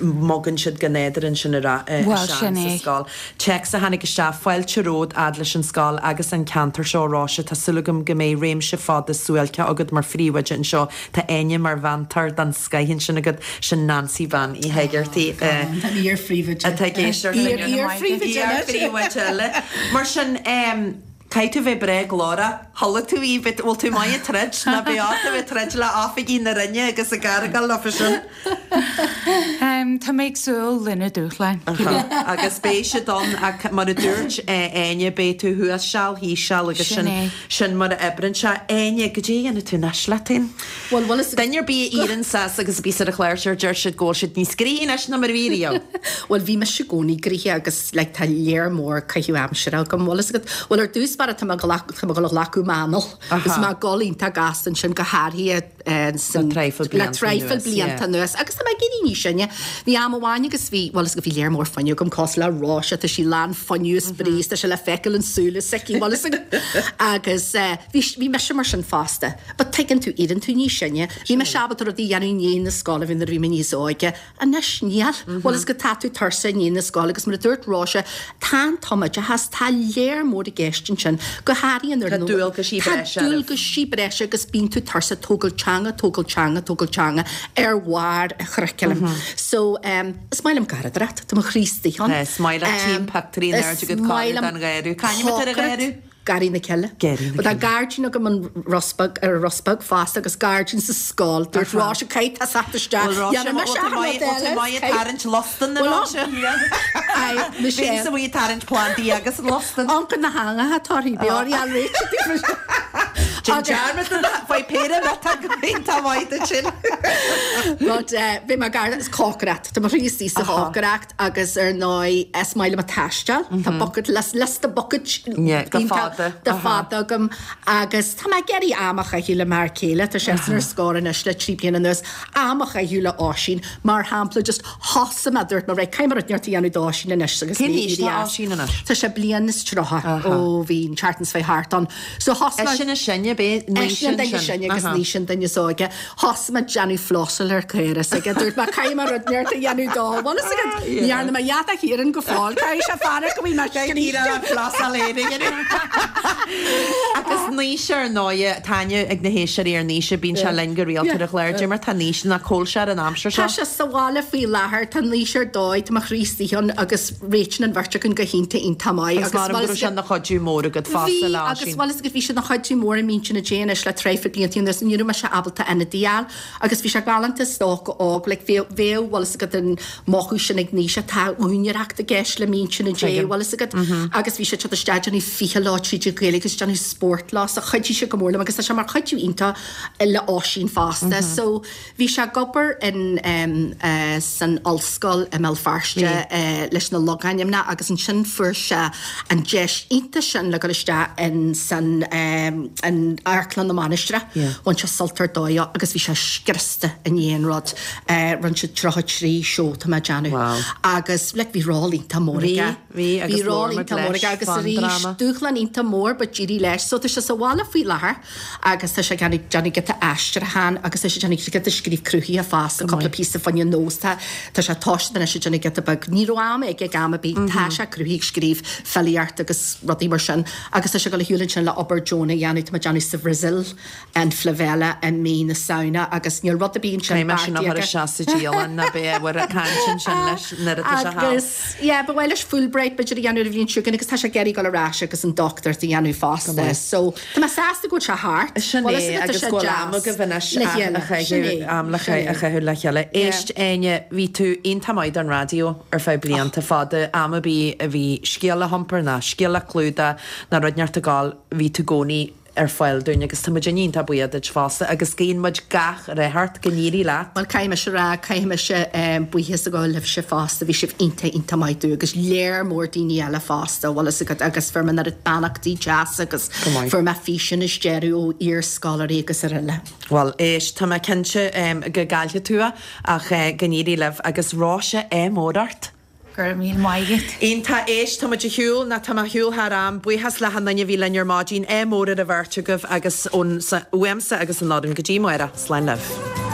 mbogann siad go nádúrtha ansin ar ais Bhuel, sin sa é. scoil. Téacs a tháinig isteach, Fáilte romhat fhad leis an scoil agus an ceantar seo, a Róise. Tá súil agam go mbeidh réimse fada suáilce agat mar phríomhoide anseo. Tá Áine mar mheantóir den scoith ansin agat. Sin Nancy Bean Uí hÉigeartaigh. Tá an iar-phríomhoide. Atá ag éisteacht linn. Iar-iar-phríomhoide anois. Iar-phríomhoide eile. Mar sin, caithfidh tú bheith breá glórach. Chuala tú í, bhfuil tú maith ag troid? Ná beidh ort a bheith ag troid le oifigigh na Roinne agus ag argáil leofa sin. Tá mé ag súil le na dúshláin. Agus beidh siad ann ach mar a dúirt Áine, beidh tú thuas seal, thíos seal agus Sin é. sin mar a oibreann sé. Áine, goidé a dhéanfaidh tú anois leat féin? Bhuel, bhfuil fhios. Duine ar bith a éiríonn suas agus a bhíos ar an chlár seo deir siad go bhfuil siad níos gnoithí anois ná mar a bhí riamh. Bhuel, bhí mise i gcónaí gnoitheach agus like tá léar mór caitheamh aimsire agam, bhfuil fhios agat. Bhuel, ar dtús báire tá mé tá mé ag dul a ghlacadh m'anal agus mé ag dul iontach gasta ansin go háirithe Le traidhfil le traidhfil blianta anuas. Agus tá mé ag éirí níos sine. Bhí am amháin agus bhí, bhfuil fhios agat, bhí léar mór fuinnimh agam cosúil le Róise, tá sí lán fuinnimh is brí is tá sé le feiceáil in súile s'aici, bhfuil fhios agat. Agus bhí, bhí mise mar sin fosta. But tuigeann tú, éiríonn tú níos sine. Bhí mise ábalta rudaí a dhéanamh i ndiaidh na scoile, bhí nuair a bhí mé níos óige. Anois níl. Bhfuil fhios agat tá tú tuirseach i ndiaidh na scoile agus mar a dúirt Róise, tá an tumoideachas, tá léar mór i gceist ansin, go háirithe nuair Tá dualgaisí Tá breise oraibh. dualgaisí breise agus bíonn tú tuirseach, tógáil teanga, tógáil teanga, tógáil teanga ar bharr an churaclaim. So, is maith liom garraíodóireacht, tá mo chroí istigh ann. Is maith leat tchím pictiúirí in airde agat Is maith cóiriú liom don gharraí. Cá ainm atá ar an gharraí? Garraí na Cille. Garraí na Tá Cille. gairdín agam an Ros Beag, ar an Ros Beag fosta agus gairdín sa scoil. Dúirt Róise caithfidh tú teacht isteach. Bhuel Róise, Dhéanfaidh mise bhfuil tú achan maith, rud bhfuil tú eile. maith ag tarraingt lustan a Bhuel, Róise? Aye, mise. Bhínnse amuigh ag tarraingt plandaí agus an lustan. Uncail na heangacha torthaí, bhí orthu réiteach daofa. Déan dearmad de faoi péire miotaí go bhféin tá maith duit sin. But eh, bhí mé gar is cócaireacht. Tá mo chroí istigh sa chócaireacht. Agus ar ndóigh, is maith liom ag taisteal. Tá bucket list, liosta bucket go fada, go fada agam. Agus tá mé ag iarraidh am a chaitheamh le m'fhear céile, tá seisean ar scor anois le 3 bliana anuas, am a chaitheamh le Oisín. Mar shampla, just thosaigh mé, dúirt mé, right, caithfidh mé rud inteacht a dhéanamh d'Oisín anois agus Cén mé aois éirí tá as. Oisín anois? Tá sé bliain is 30 ó bhí an tseachtain seo thart ann. So thosaigh É mé. sin is sine. sine, b'é Naoise an duine is sine agus Naoise an duine is óige. Thosaigh mé ag déanamh flossáil ar caora is aige. Dúirt mé caithfidh mé rud inteacht a dhéanamh dó. Bhuel is aige ní dhearna mé a dhath do Chiarán go fóill. Caithfidh sé fanacht go bhfuil mé scríte. Flossáil Agus Naoise ar ndóighe, tá aithne ag na héisteoirí ar Naoise, bíonn sé linn go rialta ar an chlár. Cad é mar tá Naoise nó cá bhfuil sé ar an aimsir seo. Tá sé sa bhaile faoi láthair, tá Naoise ar dóigh, tá mo chroí istigh ann agus réitíonn an bheirt againn go hiontach iontach maith. Agus mar go raibh sé ina chuidiú mór agat fosta Bhí, agus bhuel is agat bhí sé ina chuidiú mór i Mínse na Dé anois le traidhfil blianta anuas, ní raibh mise ábalta ionadaí a fháil agus bhí sé galánta is dócha óg, like bheadh, bheadh bhfuil fhios agat an mothú sin ag Naoise, tá úinéireacht i gceist le Mínse na Dé, bhfuil fhios agat, agus bhí sé ag teacht isteach ag déanamh ficheall leo tríd an Ghaeilge agus déanamh spórt leo so chuidigh sé go mór liom agus tá sé mar chuidiú iontach le Oisín fosta so Bhí sé ag obair in san ollscoil i mBéal Feirste leis na logainmneacha agus ansin fuair sé an deis iontach sin le dul isteach in san in Amharclann na Mainistreach. Bhain sé sult ar dóigh agus bhí sé scriosta i ndiaidh an rud. Rinne sé 33 seó tá mé ag déanamh agus like bhí ról iontach mór aige. Bhí, agus Bhí ról labhair muid iontach mór leis aige agus fán arís dráma. dúshlán iontach mór but d'éirigh leis. So tá sé sa bhaile faoi láthair. Agus tá sé ag déanamh déanamh giota aistriúcháin agus tá sé ag déanamh giota scríobh cruthaithe fosta, cúpla píosa fá choinne Nós. Tá tá sé tosaithe anois ag déanamh giota beag. Ní raibh am aige ag am ar bith. Tá sé cruthaithe ag scríobh filíocht agus rudaí mar sin agus tá sé ag dul ar shiúl ansin le obair deonach a dhéanamh. Tá mé ag déanamh sa Bhrasaíl an favela i mí na Samhna agus níl rud ar bith ansin Caithfidh mé sin a beartaithe chur aige. isteach sa dialann ná beidh ábhar cainte ansin leis nuair atá sé thall. Agus yeah, ba mhaith leis Fulbright b'fhéidir a dhéanamh an bhliain seo chugainn agus tá sé ag iarraidh dul ar ais agus an dochtúireacht a dhéanamh fosta. So. Tá mé sásta go bhfuil sé thart. Sin Bhuel, is é, tá agus sé go bhfuil am deas agaibh anois le a chéile. Sin chaitheamh, é, am le sin a é. chaitheamh le chéile. Yeah. Éist, Áine, bhí tú iontach maith don raidió ar feadh blianta fada. Am ar bith a bhí scéal le hiompar ná scéal le clúdach ná rud inteacht ag gabháil, bhí tú i gcónaí ar fáil dúinn agus tá muid iontach buíoch duit fosta agus guíonn muid gach rath ort, go n-éirí leat. Bhuel, caithfidh mise a rá, caithfidh mise buíochas a ghabháil libhse fosta, bhí sibh iontach, iontach maith domh agus léar mór daoine eile fosta, bhfuil fhios agat, agus fuair mé an oiread beannachtaí deasa agus fuair mé físeáin is deireadh ó iar-scoláirí agus araile. Bhuel, éist, tá mé cinnte go gcaillfidh tú é ach go n-éirí libh agus Róise, ádh mór ort! Go raibh míle maith agat. Iontach, éist, tá muid ar shiúl, nó tá mé ar shiúl thar am. Buíochas le hachan duine a bhí linn ar maidin. Ádh mór ar an bheirt agaibh agus ón, uaimse agus an fhoireann go dtí amárach. Slán libh.